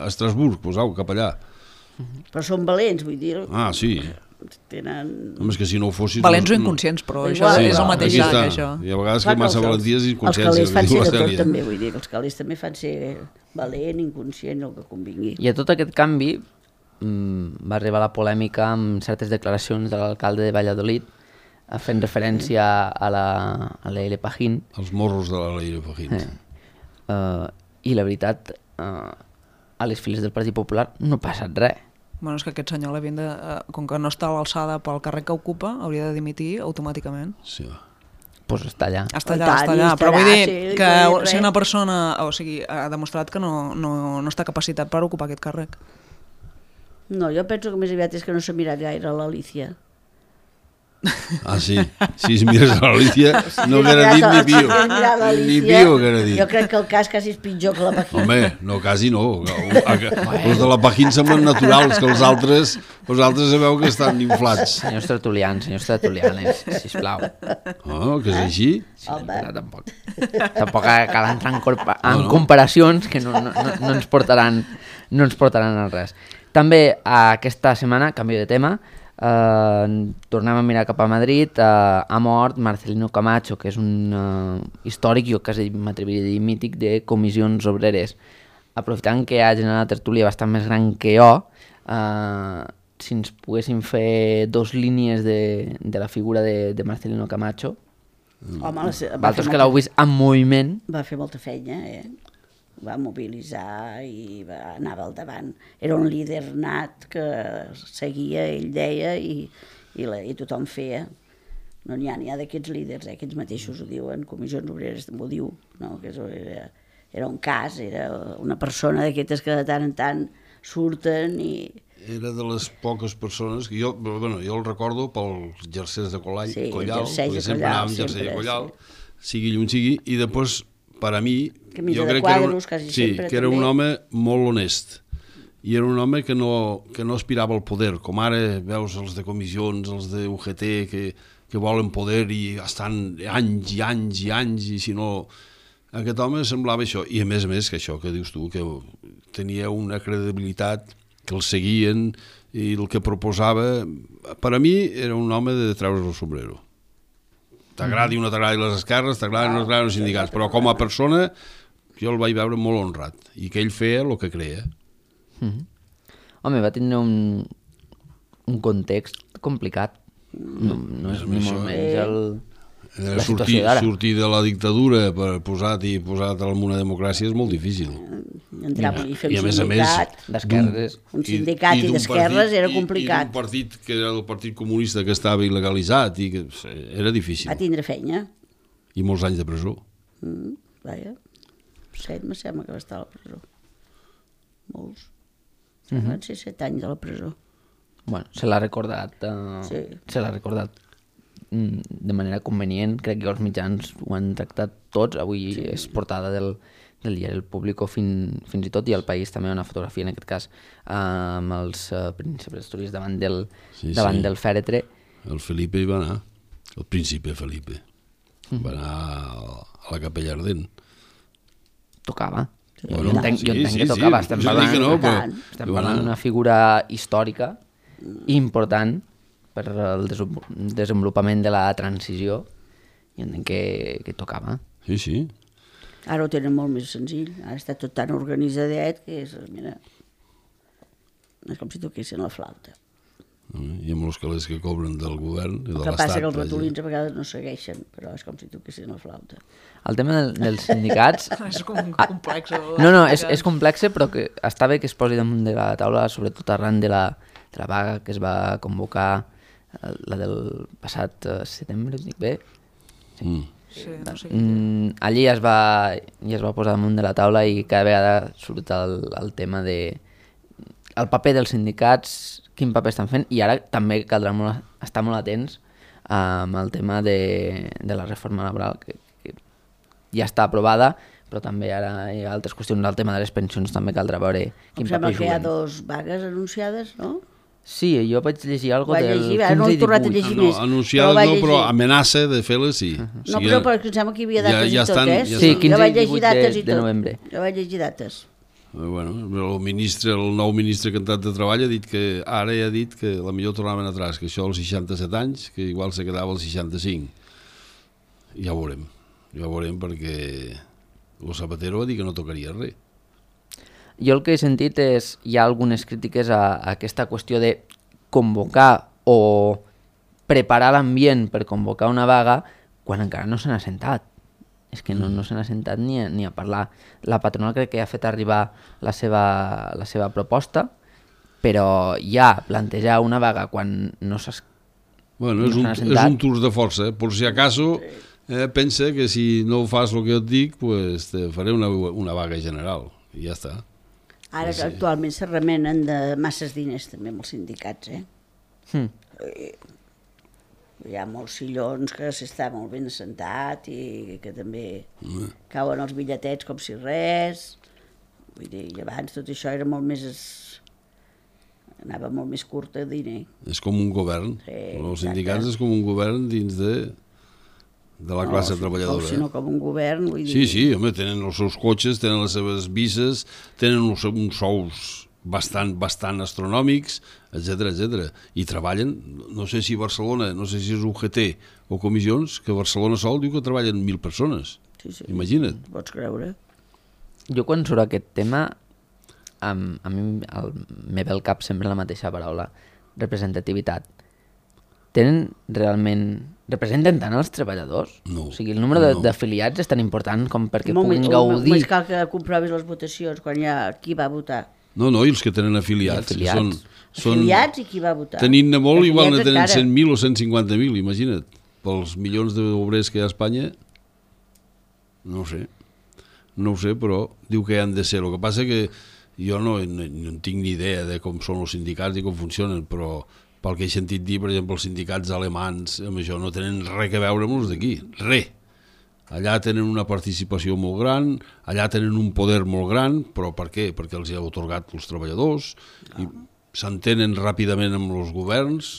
a Estrasburg, pues au, cap allà. però són valents, vull dir. Ah, sí. Tenen... Home, és que si no ho fossis... Valents o no- inconscients, però Igual, això Sí, és el no, mateix aquí sac, està. això. I a vegades Clar que massa els- valenties i Els inconsciències. calés fan diu ser la de tot, Cèlia. també, vull dir, els calés també fan ser valent, inconscient, el que convingui. I a tot aquest canvi mm, va arribar la polèmica amb certes declaracions de l'alcalde de Valladolid eh, fent referència a la, a l'E L Pajín. Els morros de la Leire Fajín. Eh. Uh, I la veritat, uh, a les files del Partit Popular no ha passat res. Bueno, és que aquest senyor, l'havien de, eh, com que no està a l'alçada pel càrrec que ocupa, hauria de dimitir automàticament. Sí, va. Pues està allà. Està I allà, tant, està i allà. Però estarà, vull dir sí, que no dic si res. una persona, o sigui, ha demostrat que no, no, no està capacitat per ocupar aquest càrrec. No, jo penso que més aviat és que no s'ha mirat gaire l'Alicia. Ah, sí. Si es mires a l'Alícia, no haguera dit ni pio. Ni pio haguera dit. Jo crec que el cas quasi és pitjor que la Paquín. Home, no, quasi no. Els de la Paquín semblen naturals, que els altres, els altres sabeu que estan inflats. Senyors tertulians, senyors tertulianes, sisplau. Oh, que és així? Sí, però tampoc. Tampoc cal entrar en, corpa, en comparacions que no, no, no, no, ens portaran, no ens portaran a res. També aquesta setmana, canvi de tema, Uh, tornem a mirar cap a Madrid. Uh, ha mort Marcelino Camacho, que és un uh, històric, jo quasi m'atreviria a dir mític, de comissions obreres. Aprofitant que hi ha gent a la tertúlia bastant més gran que jo, uh, si ens poguéssim fer dos línies de, de la figura de, de Marcelino Camacho. Home, la, Vosaltres que l'heu vist en moviment. Va fer molta feina, eh? Va mobilitzar i va, anava al davant. Era un líder nat que seguia, ell deia, i, i, la, i tothom feia. No n'hi ha, n'hi ha d'aquests líders, eh? Aquests mateixos ho diuen, Comissions Obreres també ho diu, no? Que era, era un cas, era una persona d'aquestes que de tant en tant surten i... Era de les poques persones que jo, bueno, jo el recordo pels jerseis de Collall, sí, Collal, perquè sempre Collal, anàvem jersei de Collal, sí. sigui llum sigui, i després, per a mi, Camisa jo crec quadros, que era, un, quasi sí, sempre, que era també. un home molt honest, i era un home que no, que no aspirava al poder, com ara veus els de comissions, els de U G T, que, que volen poder i estan anys i anys i anys, i si no... Aquest home semblava això, i a més a més que això que dius tu, que tenia una credibilitat, que el seguien, i el que proposava, per a mi era un home de treure's el sombrero. T'agradi o no t'agradi les esquerres, t'agradi o no t'agradi els sindicats, però com a persona jo el vaig veure molt honrat, i que ell feia el que creia. Mm-hmm. Home, va tindre un, un context complicat, no, no és ni molt menys el... Eh, sortir, sortir de la dictadura per posat i posat en una democràcia és molt difícil. Entrava i fer I a un més a més, sindicat, d'esquerres. un sindicat i, i, i d'esquerres era complicat. I, i d'un partit que era el Partit Comunista que estava il·legalitzat i que era difícil. Va tindre feina. I molts anys de presó. Mm, vaja, set me sembla que va estar a la presó. Molts. Mm-hmm. Van ser set anys a la presó. Bueno, se l'ha recordat. Uh, sí. Se l'ha recordat de manera convenient, crec que els mitjans ho han tractat tots, avui sí. És portada del, del diari El Público fin, fins i tot, i El País també una fotografia en aquest cas amb els uh, príncipes d'Astúries davant, del, sí, davant sí. del fèretre. El Felipe hi va anar, el príncipe Felipe, mm. va anar a la Capella Ardent. Tocava. Sí. Jo, bueno, jo entenc, sí, jo entenc sí, que tocava, sí. estem parlant, no, però, estem parlant d'una figura històrica important per el desenvolupament de la transició, i entenc que, que tocava. Sí, sí. Ara ho tenen molt més senzill, ara està tot tan organitzadet que és, mira, és com si toquessin la flauta. I amb els calés que cobren del govern i de l'Estat. El que passa que els ratolins a vegades no segueixen, però és com si toquessin la flauta. El tema del, dels sindicats... és com complex. No, no, és, és complex, però que està bé que es posi damunt de la taula, sobretot arran de la, de la vaga que es va convocar, la del passat setembre, dic bé? Sí. Mm. Sí, no sé mm, allí es va, ja es va posar damunt de la taula i cada vegada surt el, el tema de el paper dels sindicats, quin paper estan fent, i ara també caldrà molt, estar molt atents amb el tema de, de la reforma laboral, que, que ja està aprovada, però també ara hi ha altres qüestions, el tema de les pensions també caldrà veure quin em paper juguen. Em sembla que hi ha dos vagues anunciades, no? Sí, jo vaig llegir alguna cosa del llegir, quinze no i he tornat a divuit. llegir No, més. anunciada no, però amenaça de fer-les sí. Uh -huh. No, però, però em sembla que hi havia dates ja, ja i tot, estan, eh? ja sí, quinze jo vaig i llegir divuit dates de, i de tot. novembre. Jo vaig llegir dates. Bueno, el ministre, el nou ministre cantat de Treball ha dit que ara ja ha dit que la millor tornaven atrás, que això als seixanta-set anys, que igual se quedava als seixanta-cinc. Ja ho veurem, ja ho veurem perquè el Zapatero va dir que no tocaria res. Jo el que he sentit és, hi ha algunes crítiques a, a aquesta qüestió de convocar o preparar l'ambient per convocar una vaga quan encara no se n'ha sentat. És que no, no se n'ha sentat ni a, ni a parlar. La patronal crec que ha fet arribar la seva, la seva proposta, però ja plantejar una vaga quan no s'ha Bueno, és, no un, sentat... és un tour de força, eh? Por si acaso eh, pensa que si no fas el que et dic, pues te faré una, una vaga general, i ja està. Ara sí. que actualment se remenen de masses diners també amb els sindicats, eh? Hmm. Hi ha molts sillons que s'està molt ben assentat i que també cauen els bitlletets com si res. Vull dir, i abans tot això era molt més... Es... anava molt més curt de diner. És com un govern. Sí, Els sindicats és com un govern dins de, de la classe no, treballadora. O si no, com un govern, vull dir... Sí, sí, home, tenen els seus cotxes, tenen les seves bises, tenen uns, uns sous bastant, bastant astronòmics, etcètera, etcètera. I treballen, no sé si Barcelona, no sé si és U G T o comissions, que Barcelona sol diu que treballen mil persones. Sí, sí. Imagina't. Pots creure. Jo quan surt aquest tema, a, a mi el, me ve al cap sempre la mateixa paraula, representativitat. Tenen realment... representen tant els treballadors? No. O sigui, el número de- No. d'afiliats és tan important com perquè Molt puguin més- gaudir... Més cal que comprovis les votacions, quan hi ha qui va votar. No, no, i els que tenen afiliats. I afiliats. Que són, són, Afiliats i qui va votar. tenint-ne molt, igual ne Afiliats tenen encara. cent mil o cent cinquanta mil, imagina't. Pels milions d'obrers que hi ha a Espanya, no ho sé. No ho sé, però diu que hi han de ser. El que passa que jo no, no, no en tinc ni idea de com són els sindicats i com funcionen, però pel que he sentit dir, per exemple, els sindicats alemans, amb això no tenen res a veure amb els d'aquí, res. Allà tenen una participació molt gran, allà tenen un poder molt gran, però per què? Perquè els hi ha otorgat els treballadors, i s'entenen ràpidament amb els governs.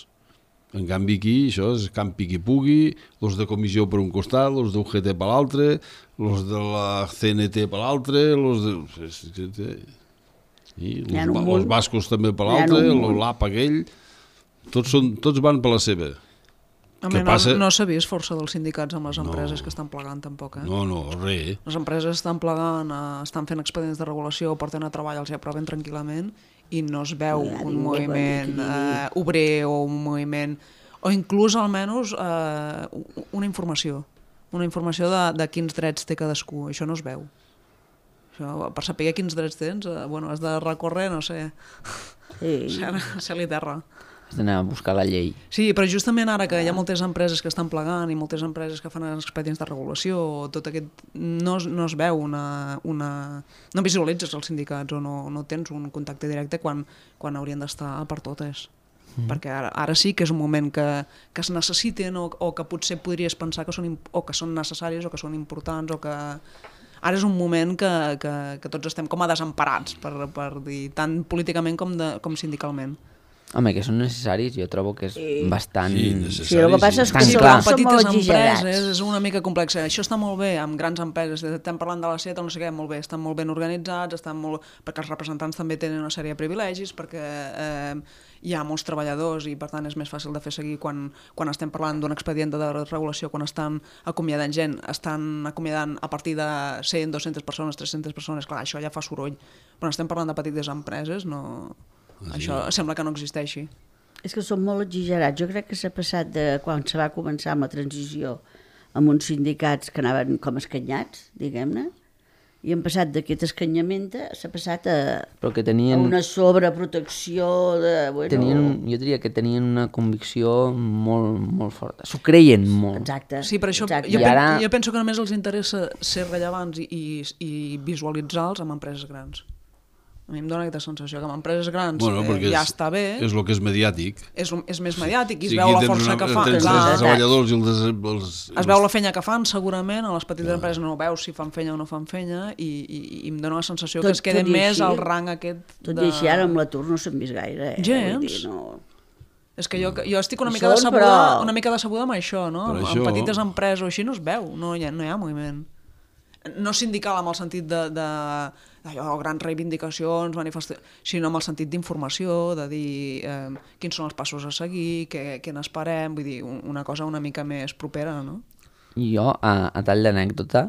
En canvi aquí això és campi qui pugui, els de comissió per un costat, els d'U G T per l'altre, els de la C N T per l'altre, els de... I N'hi ha els, un ba- munt. els bascos també per N'hi ha l'altre, un munt. l'A P aquell, tots, són, tots van per la seva. A Què mi no, passa? no s'ha vist força dels sindicats amb les empreses No. que estan plegant tampoc, eh? No, no, res. Les empreses estan plegant, eh, estan fent expedients de regulació, porten a treball, els hi aproven tranquil·lament i no es veu No hi ha un ningú que moviment digui. eh, obrer o un moviment... O inclús almenys eh, una informació. Una informació de, de quins drets té cadascú. Això no es veu. Això, per saber quins drets tens, eh, bueno, has de recórrer, no sé, Sí. cel i terra. Has d'anar a buscar la llei. Sí, però justament ara que hi ha moltes empreses que estan plegant i moltes empreses que fan expedients de regulació, tot aquest... no, es- no es veu una, una... no visualitzes els sindicats o no, no tens un contacte directe quan, quan haurien d'estar per totes. Mm. Perquè ara, ara sí que és un moment que, que es necessiten o, o que potser podries pensar que són, im- o que són necessaris o que són importants o que... Ara és un moment que, que, que tots estem com a desemparats, per, per dir, tant políticament com, de, com sindicalment. Home, que són necessaris, jo trobo que és bastant... Sí, Sí, necessari. el que passa és que Tan sí, clar. clar, són molt petites exagerats. empreses és una mica complex. Això està molt bé amb grans empreses, estem parlant de la SEAT o no sé què, molt bé, estan molt ben organitzats, estan molt... perquè els representants també tenen una sèrie de privilegis, perquè eh, hi ha molts treballadors i per tant és més fàcil de fer seguir quan, quan estem parlant d'un expedient de regulació, quan estan acomiadant gent, estan acomiadant a partir de cent, dues-centes persones, tres-centes persones, clar, això ja fa soroll. Però estem parlant de petites empreses, no... Això sembla que no existeixi. És que són molt exagerats. Jo crec que s'ha passat de quan se va començar amb la transició amb uns sindicats que anaven com escanyats, diguem-ne, i han passat d'aquest escanyament, s'ha passat a, Però que a tenien... una sobreprotecció de... Bueno, tenien, jo diria que tenien una convicció molt, molt forta. S'ho creien molt. Exacte. Sí, per això exacte. jo, I pen, ara- jo penso que només els interessa ser rellevants i, i, i visualitzar-los amb empreses grans. A mi em dóna aquesta sensació que amb empreses grans Bueno, eh, perquè ja és, està bé, és el que és mediàtic. és, és més mediàtic i es Sí, veu aquí la tens força una- que fan. Tens Clar, els treballadors i els, els, es veu la feina que fan segurament, a les petites empreses no veus si fan feina o no fan feina i, i, i em dóna la sensació Tot- que es queden tot i més així- al rang aquest Tot de... i així ara amb l'atur no s'han vist gaire. Eh? Gens. Vull dir, no... És que jo, jo estic una Hi mica, són, decebuda, però- una mica decebuda amb això, no? Per Amb això- petites empreses o així no es veu, no hi ha, no hi ha moviment. No sindical amb el sentit de, de allò, grans reivindicacions, manifestacions, sinó amb el sentit d'informació, de dir eh, quins són els passos a seguir, què, què n'esperem, vull dir, un- una cosa una mica més propera, no? Jo, a, a tall d'anècdota,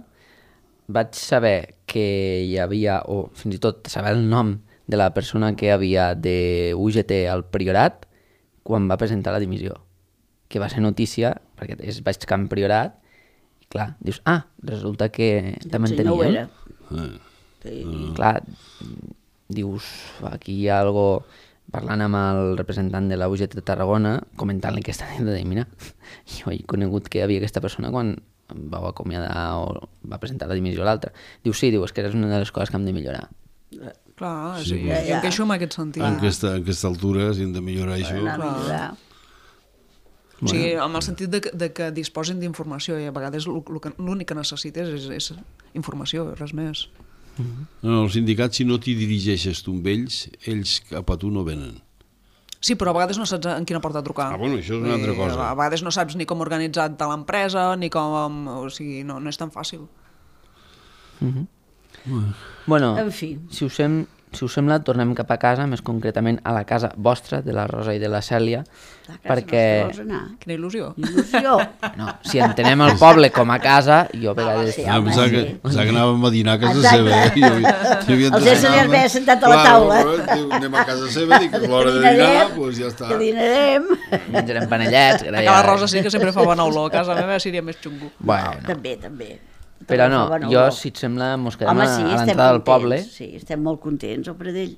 vaig saber que hi havia, o fins i tot saber el nom de la persona que hi havia de U G T al Priorat quan va presentar la dimissió, que va ser notícia, perquè és baix camp Priorat, i clar, dius, ah, resulta que també en Sí, no ho teníem. era. Eh. Sí. Clar, dius, aquí hi ha algo parlant amb el representant de la U G T de Tarragona, comentant-li que està dient de dir, mira, jo he conegut que hi havia aquesta persona quan em vau acomiadar o va presentar la dimissió a l'altra. Diu, sí, diu, és que és una de les coses que hem de millorar. Clar, Sí, sí, però- jo em queixo en aquest sentit. En aquesta, en aquesta altura, si hem de millorar això... Anar a millorar. O sigui, en el sentit de que, de que disposin d'informació i a vegades l'únic que necessites és, és informació, res més. No, els sindicats, si no t'hi dirigeixes tu amb ells, ells cap a tu no venen. Sí, però a vegades no saps en quina porta trucar. Ah, bueno, això és una altra cosa. A vegades no saps ni com organitzar-te l'empresa, ni com... O sigui, no, no és tan fàcil. Mm-hmm. Bueno, bueno en fi. Si us, sem si us sembla, tornem cap a casa, més concretament a la casa vostra, de la Rosa i de la Cèlia, La casa perquè... vols anar? Quina il·lusió. Il·lusió. No, si entenem el poble com a casa, jo a vegades... sí, Ah, home, pensava que, sí. pensava que anàvem a dinar a casa Exacte. seva. Eh? Jo, jo havia Els éssers ja ve sentat a la taula. Clar, anem a casa seva, dic, és l'hora de dinar, doncs ja està. Que dinarem. Menjarem panellets... Que la Rosa sí que sempre fa bona olor, a casa meva seria més xungo. Bueno, També, també. però no, Bona jo, olor. si et sembla, mos quedem Home, a, sí, a estem l'entrada del contents, poble. Sí, estem molt contents al Pradell,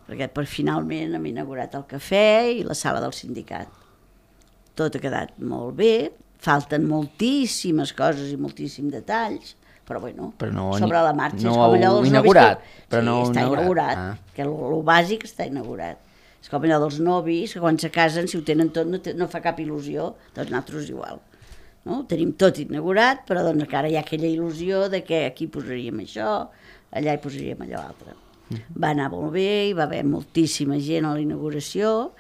perquè per finalment hem inaugurat el cafè i la sala del sindicat. Tot ha quedat molt bé, falten moltíssimes coses i moltíssims detalls, però bueno, Però no, sobre la marxa. no és com allò heu dels inaugurat, novis que... però sí, no heu està inaugurat. inaugurat, Ah. que el bàsic està inaugurat. És com allò dels novis, que quan se casen, si ho tenen tot, no, te, no fa cap il·lusió, doncs nosaltres igual. No? Ho tenim tot inaugurat, però doncs encara hi ha aquella il·lusió de que aquí posaríem això, allà hi posaríem allò altre. Va anar molt bé, hi va haver moltíssima gent a la inauguració,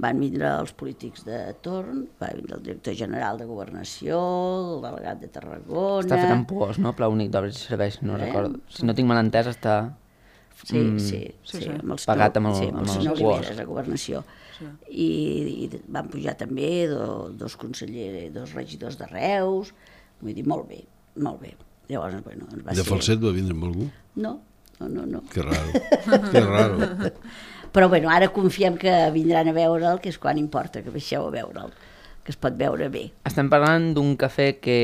van vindre els polítics de torn, va vindre el director general de Governació, el delegat de Tarragona... Està fet amb puos, no? Pla únic d'obres i serveis, no Eh? recordo. Si no tinc mal entès, està... Sí, mm, sí, sí, sí, sí. amb els Pagat amb el- sí, amb amb els els senyor quars. Oliveres a Governació. Sí. I, I van pujar també do, dos consellers, dos regidors de Reus, vull dir, molt bé, molt bé. Llavors, bueno, ens va De ser... falset va vindre amb algú? No, no, no, no. Que raro, que raro. Però bueno, ara confiem que vindran a veure'l, que és quan importa que baixeu a veure'l, que es pot veure bé. Estem parlant d'un cafè que,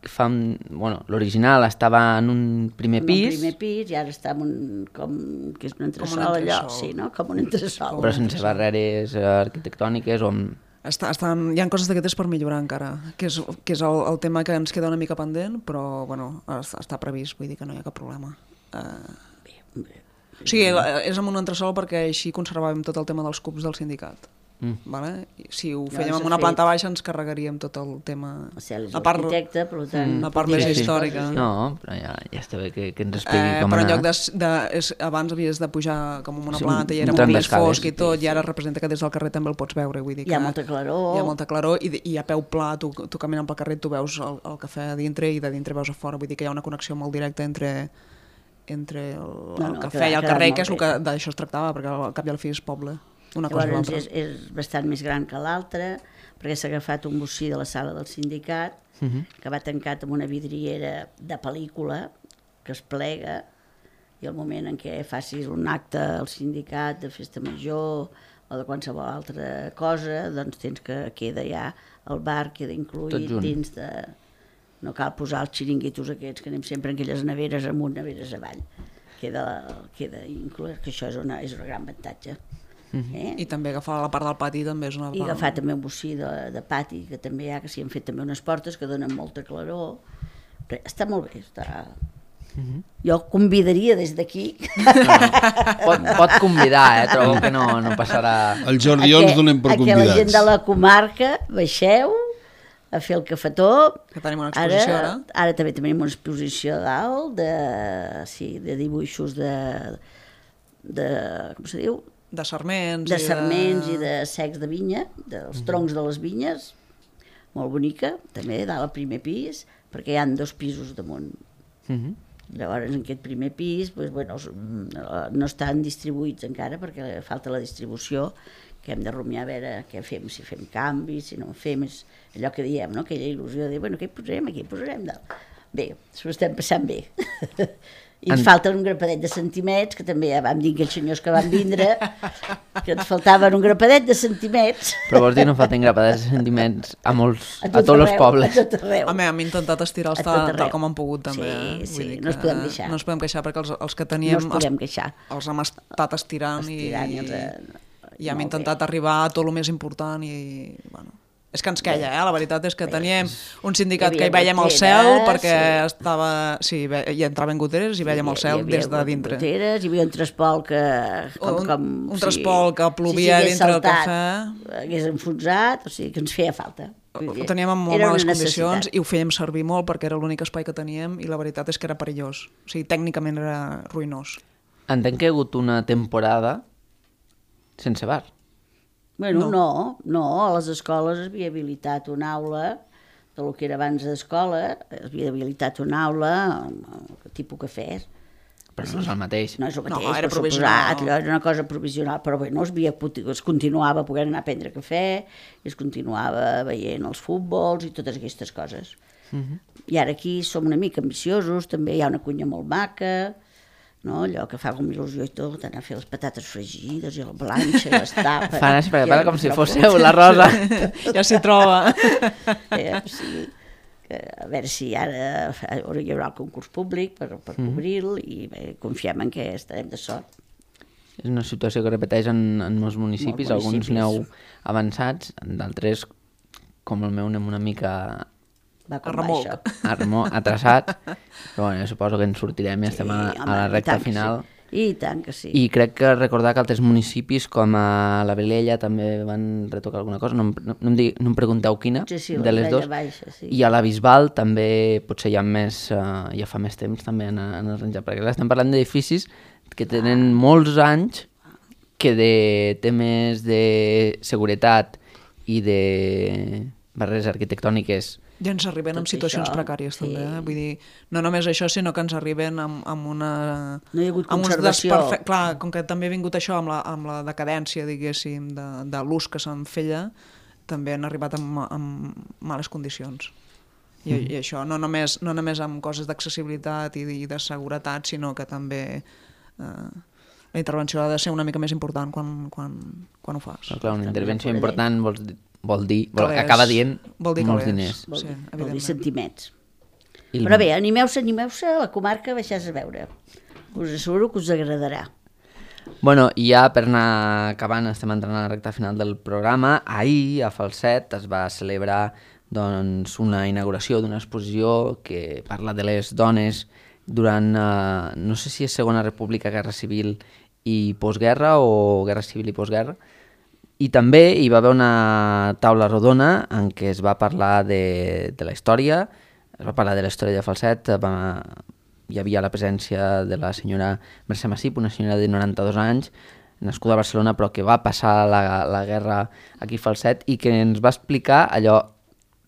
que fa... Bueno, l'original estava en un primer En pis, un primer pis i ara està en un... com... que és un entresol, entresol. allò, sí, no? Com un entresol. però sense barreres arquitectòniques o amb... Està, estan, hi ha coses d'aquestes per millorar encara, que és, que és el, el tema que ens queda una mica pendent, però bueno, està, està previst, vull dir que no hi ha cap problema. Uh, Bé, bé. o sigui, és amb un entresol perquè així conservàvem tot el tema dels cubs del sindicat. Mm. Vale? I si ho Llavors fèiem s'ha amb una fet- planta baixa ens carregaríem tot el tema... O sigui, és La part- arquitecte, per tant... la part pot dir més aquestes històrica. coses, No, però ja, ja està bé que, que ens expliqui Eh, com però en anar. lloc de, de és, abans havies de pujar com amb una Sí, planta i un era tram molt més d'escales. fosc i tot, i ara representa que des del carrer també el pots veure. Vull dir que Hi ha molta claror. Hi ha molta claror i, i a peu pla, tu, tu caminant pel carrer, tu veus el, el cafè a dintre i de dintre veus a fora. Vull dir que hi ha una connexió molt directa entre entre el, No, el no, cafè ha i el quedat carrer, molt que és el bé. que d'això es tractava, perquè al cap i al fi és poble, una cosa i Llavors l'altra. és, és bastant més gran que l'altre, perquè s'ha agafat un bocí de la sala del sindicat, Mhm. que va tancat amb una vidriera de pel·lícula, que es plega, i el moment en què facis un acte al sindicat de festa major o de qualsevol altra cosa, doncs tens que queda ja, el bar queda Tot incluït junt. dins de... No cal posar els xiringuitos aquests, que anem sempre en aquelles neveres amunt, neveres avall. Queda, queda inclòs, que això és, una, és un gran avantatge. Eh? I també agafar la part del pati també és una... I agafar també un bocí de, de pati, que també hi ha, que s'hi han fet també unes portes que donen molta claror. Però està molt bé, està... Jo convidaria des d'aquí Pot, pot convidar, eh? Trobo que no, no passarà... El Jordi ens donem per a que la gent convidats. de la comarca baixeu a fer el cafetó. Que tenim una exposició ara. Ara també tenim una exposició a dalt de, sí, de dibuixos de, de, com se diu? De sarments. De i sarments i de secs de vinya, dels troncs de les vinyes, molt bonica, també dalt al primer pis, perquè hi ha dos pisos damunt. Mhm. Llavors, en aquest primer pis, doncs, bueno, els- no estan distribuïts encara perquè falta la distribució, que hem de rumiar a veure què fem, si fem canvis, si no fem, és allò que diem, no? Aquella il·lusió de dir, bueno, què hi posarem aquí, hi posarem dalt. Bé, s'ho estem passant bé. I ens En- falten un grapadet de centimets, que també ja vam dir aquells senyors que van vindre, que ens faltaven un grapadet de centimets. Però vols dir no falten grapadets de sentiments a molts, a, tot tots els arreu, pobles. A tot arreu. Home, hem intentat estirar els A tot tal, arreu. tal com han pogut també. Sí, eh? sí, Vull dir no ens que podem queixar. No ens podem queixar perquè els, els que No teníem ens podem queixar. els hem estat estirant, Estirant i i, els, eh, i hem molt intentat bé. arribar a tot el més important i, bueno, És que ens queia, eh? La veritat és que teníem un sindicat Hi que hi havia veiem el goteres, cel perquè sí. estava... Sí, ve- hi entraven goteres i veiem el cel des de dintre. Goteres, hi havia un traspol que... Com, Un- com, un traspol que plovia s'hagués dintre del saltat, cafè. Hagués enfonsat, o sigui que ens feia falta. Vull dir, Ho teníem en molt era una males necessitat. condicions i ho fèiem servir molt perquè era l'únic espai que teníem i la veritat és que era perillós. O sigui, tècnicament era ruïnós. Entenc que hi ha hagut una temporada sense bar. Bueno, no. no, no, a les escoles es havia habilitat una aula, de lo que era abans d'escola, es havia habilitat una aula, tipus cafès. Però no és el mateix. No és el No, mateix, era per provisional. suposat, allò era una cosa provisional, però bé, no es, havia, es continuava podent anar a prendre cafè, i es continuava veient els futbols i totes aquestes coses. Uh -huh. I ara aquí som una mica ambiciosos, també hi ha una cuina molt maca, no? Allò que fa com il·lusió i tot, anar a fer les patates fregides i la planxa i les tapes. Fan així, perquè parla com si fóssiu la Rosa. Ja s'hi troba. Eh, o sigui, que a veure si ara hi haurà el concurs públic per, per cobrir-lo i bé, confiem en que estarem de sort. És una situació que repeteix en, en molts municipis, Molts alguns municipis. aneu avançats, d'altres, com el meu, anem una mica Va com A va remolc. això. a remor, atrasat, però bueno, jo suposo que ens sortirem i estem a, a la i recta tant que final. Sí. I tant que sí. I crec que recordar que altres municipis, com a la Vilella, també van retocar alguna cosa. No, em- no, no, em, digui, no em pregunteu quina, Sí, sí, la de les Vilella dues. Baixa, sí. I a la Bisbal també potser hi ha més, uh, ja fa més temps també en, en arranjat, perquè clar, estem parlant d'edificis que tenen molts anys, que de temes de seguretat i de barreres arquitectòniques I ens arriben Tot en situacions això, precàries, sí. també. Eh? Vull dir, no només això, sinó que ens arriben amb, amb una... No hi ha hagut amb uns conservació. desperfe- Clar, com que també ha vingut això amb la, amb la decadència, diguéssim, de, de l'ús que se'n feia, també han arribat amb, amb males condicions. I, mm. I això, no només, no només amb coses d'accessibilitat i, i de seguretat, sinó que també eh, la intervenció ha de ser una mica més important quan, quan, quan ho fas. Però clar, una També intervenció no podré. important vol, dir- vol dir, vol, Calés. acaba dient Vol dir molts calés. diners. Vol, Sí, dir- vol dir evidentment. sentiments. I el- Però bé, animeu-se, animeu-se a la comarca, baixàs a veure. Us asseguro que us agradarà. Bueno, i ja per anar acabant, estem entrant a la recta final del programa. Ahir, a Falset, es va celebrar doncs, una inauguració d'una exposició que parla de les dones durant, eh, no sé si és Segona República, Guerra Civil i postguerra o Guerra Civil i postguerra. I també hi va haver una taula rodona en què es va parlar de, de la història, es va parlar de la història de Falset, va, hi havia la presència de la senyora Mercè Massip, una senyora de noranta-dos anys, nascuda a Barcelona, però que va passar la, la guerra aquí a Falset i que ens va explicar allò,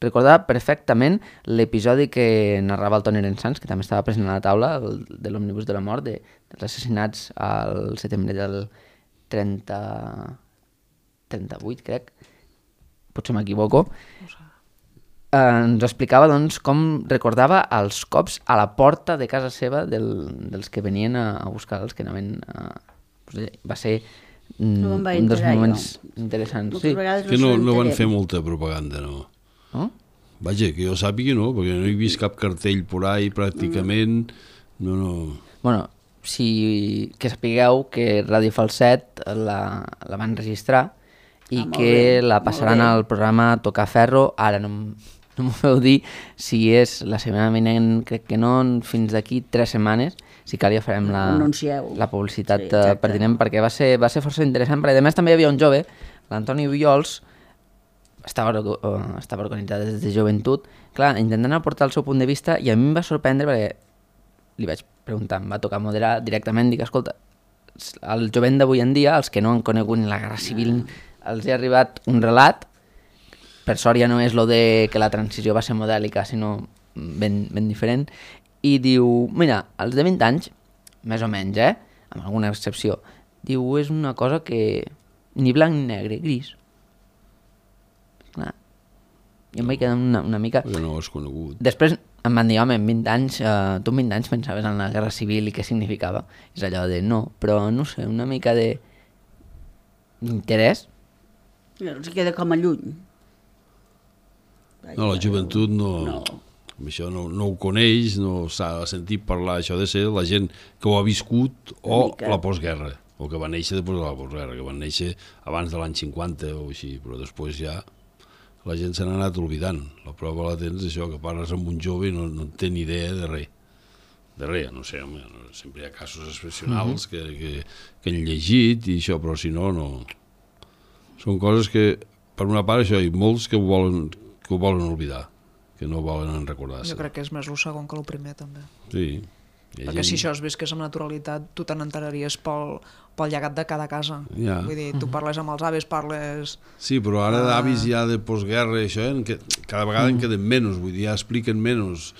recordava perfectament l'episodi que narrava el Toni Arensans, que també estava present a la taula, el, de l'òmnibus de la mort, de, dels assassinats al setembre del trenta... trenta-vuit, crec, potser m'equivoco, eh, ens explicava doncs, com recordava els cops a la porta de casa seva del, dels que venien a, a buscar els que anaven a... Va ser mm, No me'n vaig un dels enterar, moments jo. interessants. Moltes Sí. vegades Que no, se no van n'enterem. fer molta propaganda, no. No? Vaja, que jo sàpiga no, perquè no he vist cap cartell por ahí pràcticament, no, no... Bueno, si, que sapigueu que Ràdio Falset la, la van registrar i Ah, molt que bé, la molt passaran bé. al programa Tocar Ferro. Ara no, m- no m'ho feu dir si és la setmana vinent, crec que no, fins d'aquí tres setmanes, si cal ja farem la, Anuncieu. la publicitat Sí, sí, exacte. pertinent, perquè va ser, va ser força interessant, perquè a més també hi havia un jove, l'Antoni Viols, estava, orga- eh, estava organitzat des de joventut, clar, intentant aportar el seu punt de vista, i a mi em va sorprendre perquè li vaig preguntar, em va tocar moderar directament, dic, escolta, el jovent d'avui en dia, els que no han conegut ni la Guerra Civil, els ha arribat un relat, per sort ja no és lo de que la transició va ser modèlica, sinó ben, ben diferent, i diu, mira, els de vint anys, més o menys, eh, amb alguna excepció, diu, és una cosa que ni blanc ni negre, gris. Clar, jo em vaig quedar una, una mica... Perquè no ho has conegut. Després em van dir, home, en vint anys, eh, tu en vint anys pensaves en la Guerra Civil i què significava. És allò de no, però no sé, una mica de d'interès. Els queda com a lluny. No, la joventut no, No. amb això no, no ho coneix, no s'ha sentit parlar, això de ser la gent que ho ha viscut o mica. la postguerra, o que va néixer després de la postguerra, que van néixer abans de l'any cinquanta o així, però després ja la gent se n'ha anat oblidant. La prova la tens, això, que parles amb un jove i no, no té ni idea de res. De res, no sé, home, sempre hi ha casos excepcionals que, que, que han llegit i això, però si no, no... Són coses que, per una part, això, hi ha molts que ho volen, que ho volen oblidar, que no volen recordar-se. Jo crec que és més el segon que el primer, també. Sí. Perquè gent... si això es visqués amb naturalitat, tu te n'enteraries pel, pel llegat de cada casa. Ja. Vull dir, tu parles amb els avis, parles... Sí, però ara d'avis ja de postguerra, això, en que cada vegada en queden menys, vull dir, ja expliquen menys.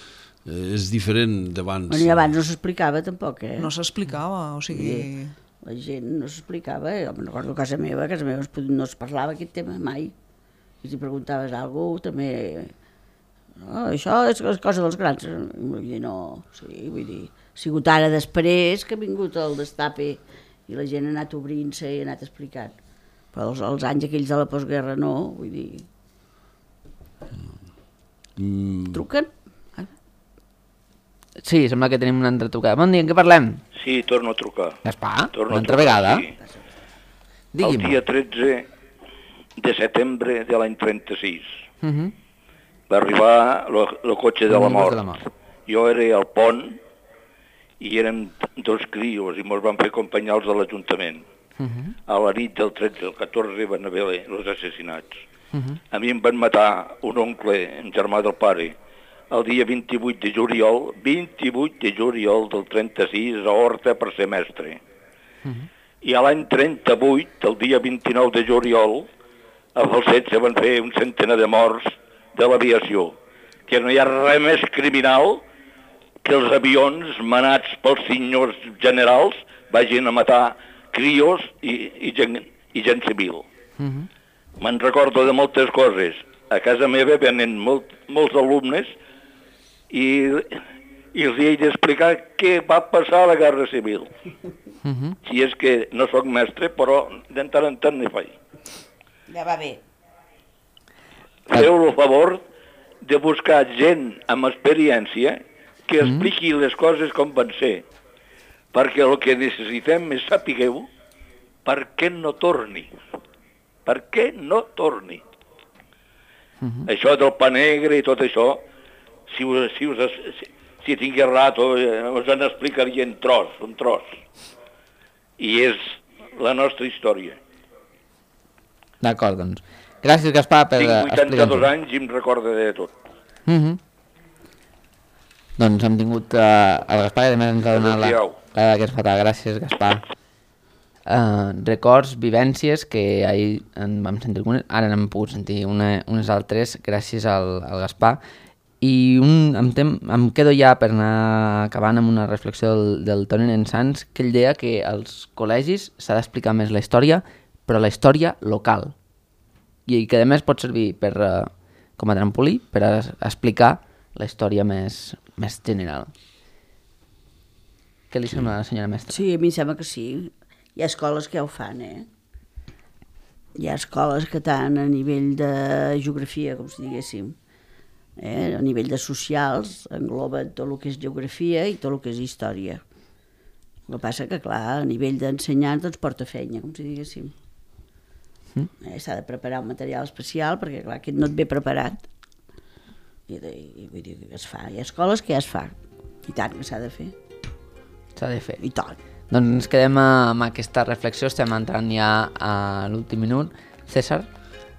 Eh, és diferent d'abans. Bueno, i abans no s'explicava tampoc, eh? No s'explicava, o sigui... Sí. La gent no s'explicava, jo me'n recordo a casa meva, a casa meva no es parlava aquest tema mai. I si preguntaves alguna cosa, també... No, això és cosa dels grans. Vull dir, no... Sí, vull dir, ha sigut ara després que ha vingut el destape i la gent ha anat obrint-se i ha anat explicant. Però els, els anys aquells de la postguerra no, vull dir... Mm. Truquen? Sí, sembla que tenim una altra trucada. Bon dia, en què parlem? Sí, torno a trucar. Gaspar, Torno una a altra trucar, vegada? sí. Digui'm. El dia tretze de setembre de l'any trenta-sis Uh -huh. va arribar el cotxe de la El mort. de la mort. Jo era al pont i érem dos crios i mos van fer acompanyar-los a l'Ajuntament. Uh -huh. A la nit del tretze al catorze van haver els assassinats. Uh -huh. A mi em van matar un oncle, un germà del pare, el dia vint-i-vuit de juliol, vint-i-vuit de juliol del trenta-sis a Horta per ser mestre. Uh-huh. I a l'any trenta-vuit, el dia vint-i-nou de juliol, a Falset se van fer un centenar de morts de l'aviació, que no hi ha res més criminal que els avions manats pels senyors generals vagin a matar crios i, i, gent, i gent civil. Uh-huh. Me'n recordo de moltes coses. A casa meva venen molt, molts alumnes i, i els he d'explicar què va passar a la Guerra Civil. Uh-huh. Si és que no sóc mestre, però de tant en tant n'hi faig. Ja va bé. Feu el favor de buscar gent amb experiència que expliqui les coses com van ser, perquè el que necessitem és sapigueu per què no torni. Per què no torni. Uh-huh. Això del pa negre i tot això, si, us, si, us, si, si tingués rato, eh, us en explicaria en tros, un tros. I és la nostra història. D'acord, doncs. Gràcies, Gaspar, per explicar-ho. Tinc vuitanta-dos explicar-ho. anys i em recordo de tot. Uh -huh. Doncs hem tingut uh, el Gaspar i a més ens ha donat la, la d'aquest fatal. Gràcies, Gaspar. Uh, records, vivències que ahir en vam sentir algunes, ara n'hem pogut sentir una, unes altres gràcies al, al Gaspar. I un, em, tem, em quedo ja per anar acabant amb una reflexió del, del Toni Nensans, que ell deia que als col·legis s'ha d'explicar més la història, però la història local. I que a més pot servir per, uh, com a trampolí per a, a explicar la història més, més general. Què li sembla a la senyora mestra? Sí, a mi em sembla que sí. Hi ha escoles que ja ho fan, eh? Hi ha escoles que tant a nivell de geografia, com si diguéssim, eh? A nivell de socials, engloba tot el que és geografia i tot el que és història. El que passa que, clar, a nivell d'ensenyants doncs porta feina, com si diguéssim. Mm. Eh, s'ha de preparar un material especial perquè, clar, aquest no et ve preparat. I, de, i vull dir que es fa. Hi ha escoles que ja es fa. I tant que s'ha de fer. S'ha de fer. I tant. Doncs ens quedem amb aquesta reflexió, estem entrant ja a l'últim minut. César,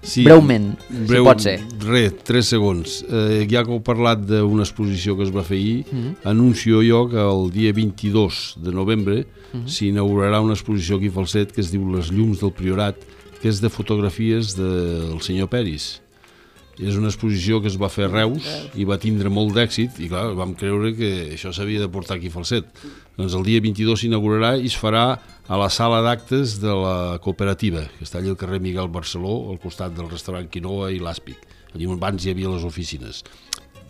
sí, breument, breu, si pot ser. Re, tres segons. Eh, ja que heu parlat d'una exposició que es va fer ahir, mm-hmm. anuncio jo que el dia vint-i-dos de novembre mm-hmm. s'inaugurarà una exposició aquí a Falset que es diu Les llums del Priorat, que és de fotografies del senyor Peris. És una exposició que es va fer a Reus i va tindre molt d'èxit i clar, vam creure que això s'havia de portar aquí a Falset. Doncs el dia vint-i-dos s'inaugurarà i es farà a la sala d'actes de la cooperativa, que està allà al carrer Miguel Barceló, al costat del restaurant Quinoa i l'Àspic. Allí abans hi havia les oficines.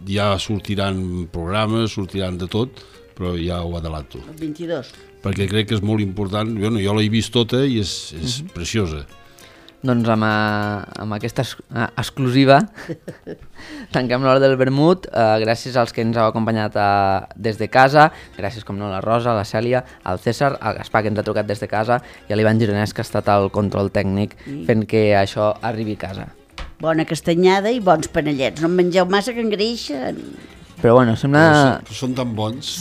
Ja sortiran programes, sortiran de tot, però ja ho adelanto. El vint-i-dos. Perquè crec que és molt important. Bueno, jo l'he vist tota i és, és mm-hmm. preciosa. Doncs amb, a, amb aquesta es, a, exclusiva tanquem l'hora del vermut. Uh, gràcies als que ens heu acompanyat uh, des de casa, gràcies com no a la Rosa, a la Cèlia, al César, al Gaspar que ens ha trucat des de casa i a l'Ivan Gironès que ha estat al control tècnic fent que això arribi a casa. bona castanyada i bons panellets. No en mengeu massa que engreixen. Però bueno, sembla... Però són tan bons.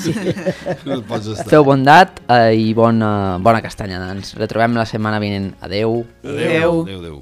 No et pots estar. Feu bondat eh, i bona, bona castanyada. Ens retrobem la setmana vinent. Adeu. Adeu. Adéu, adéu.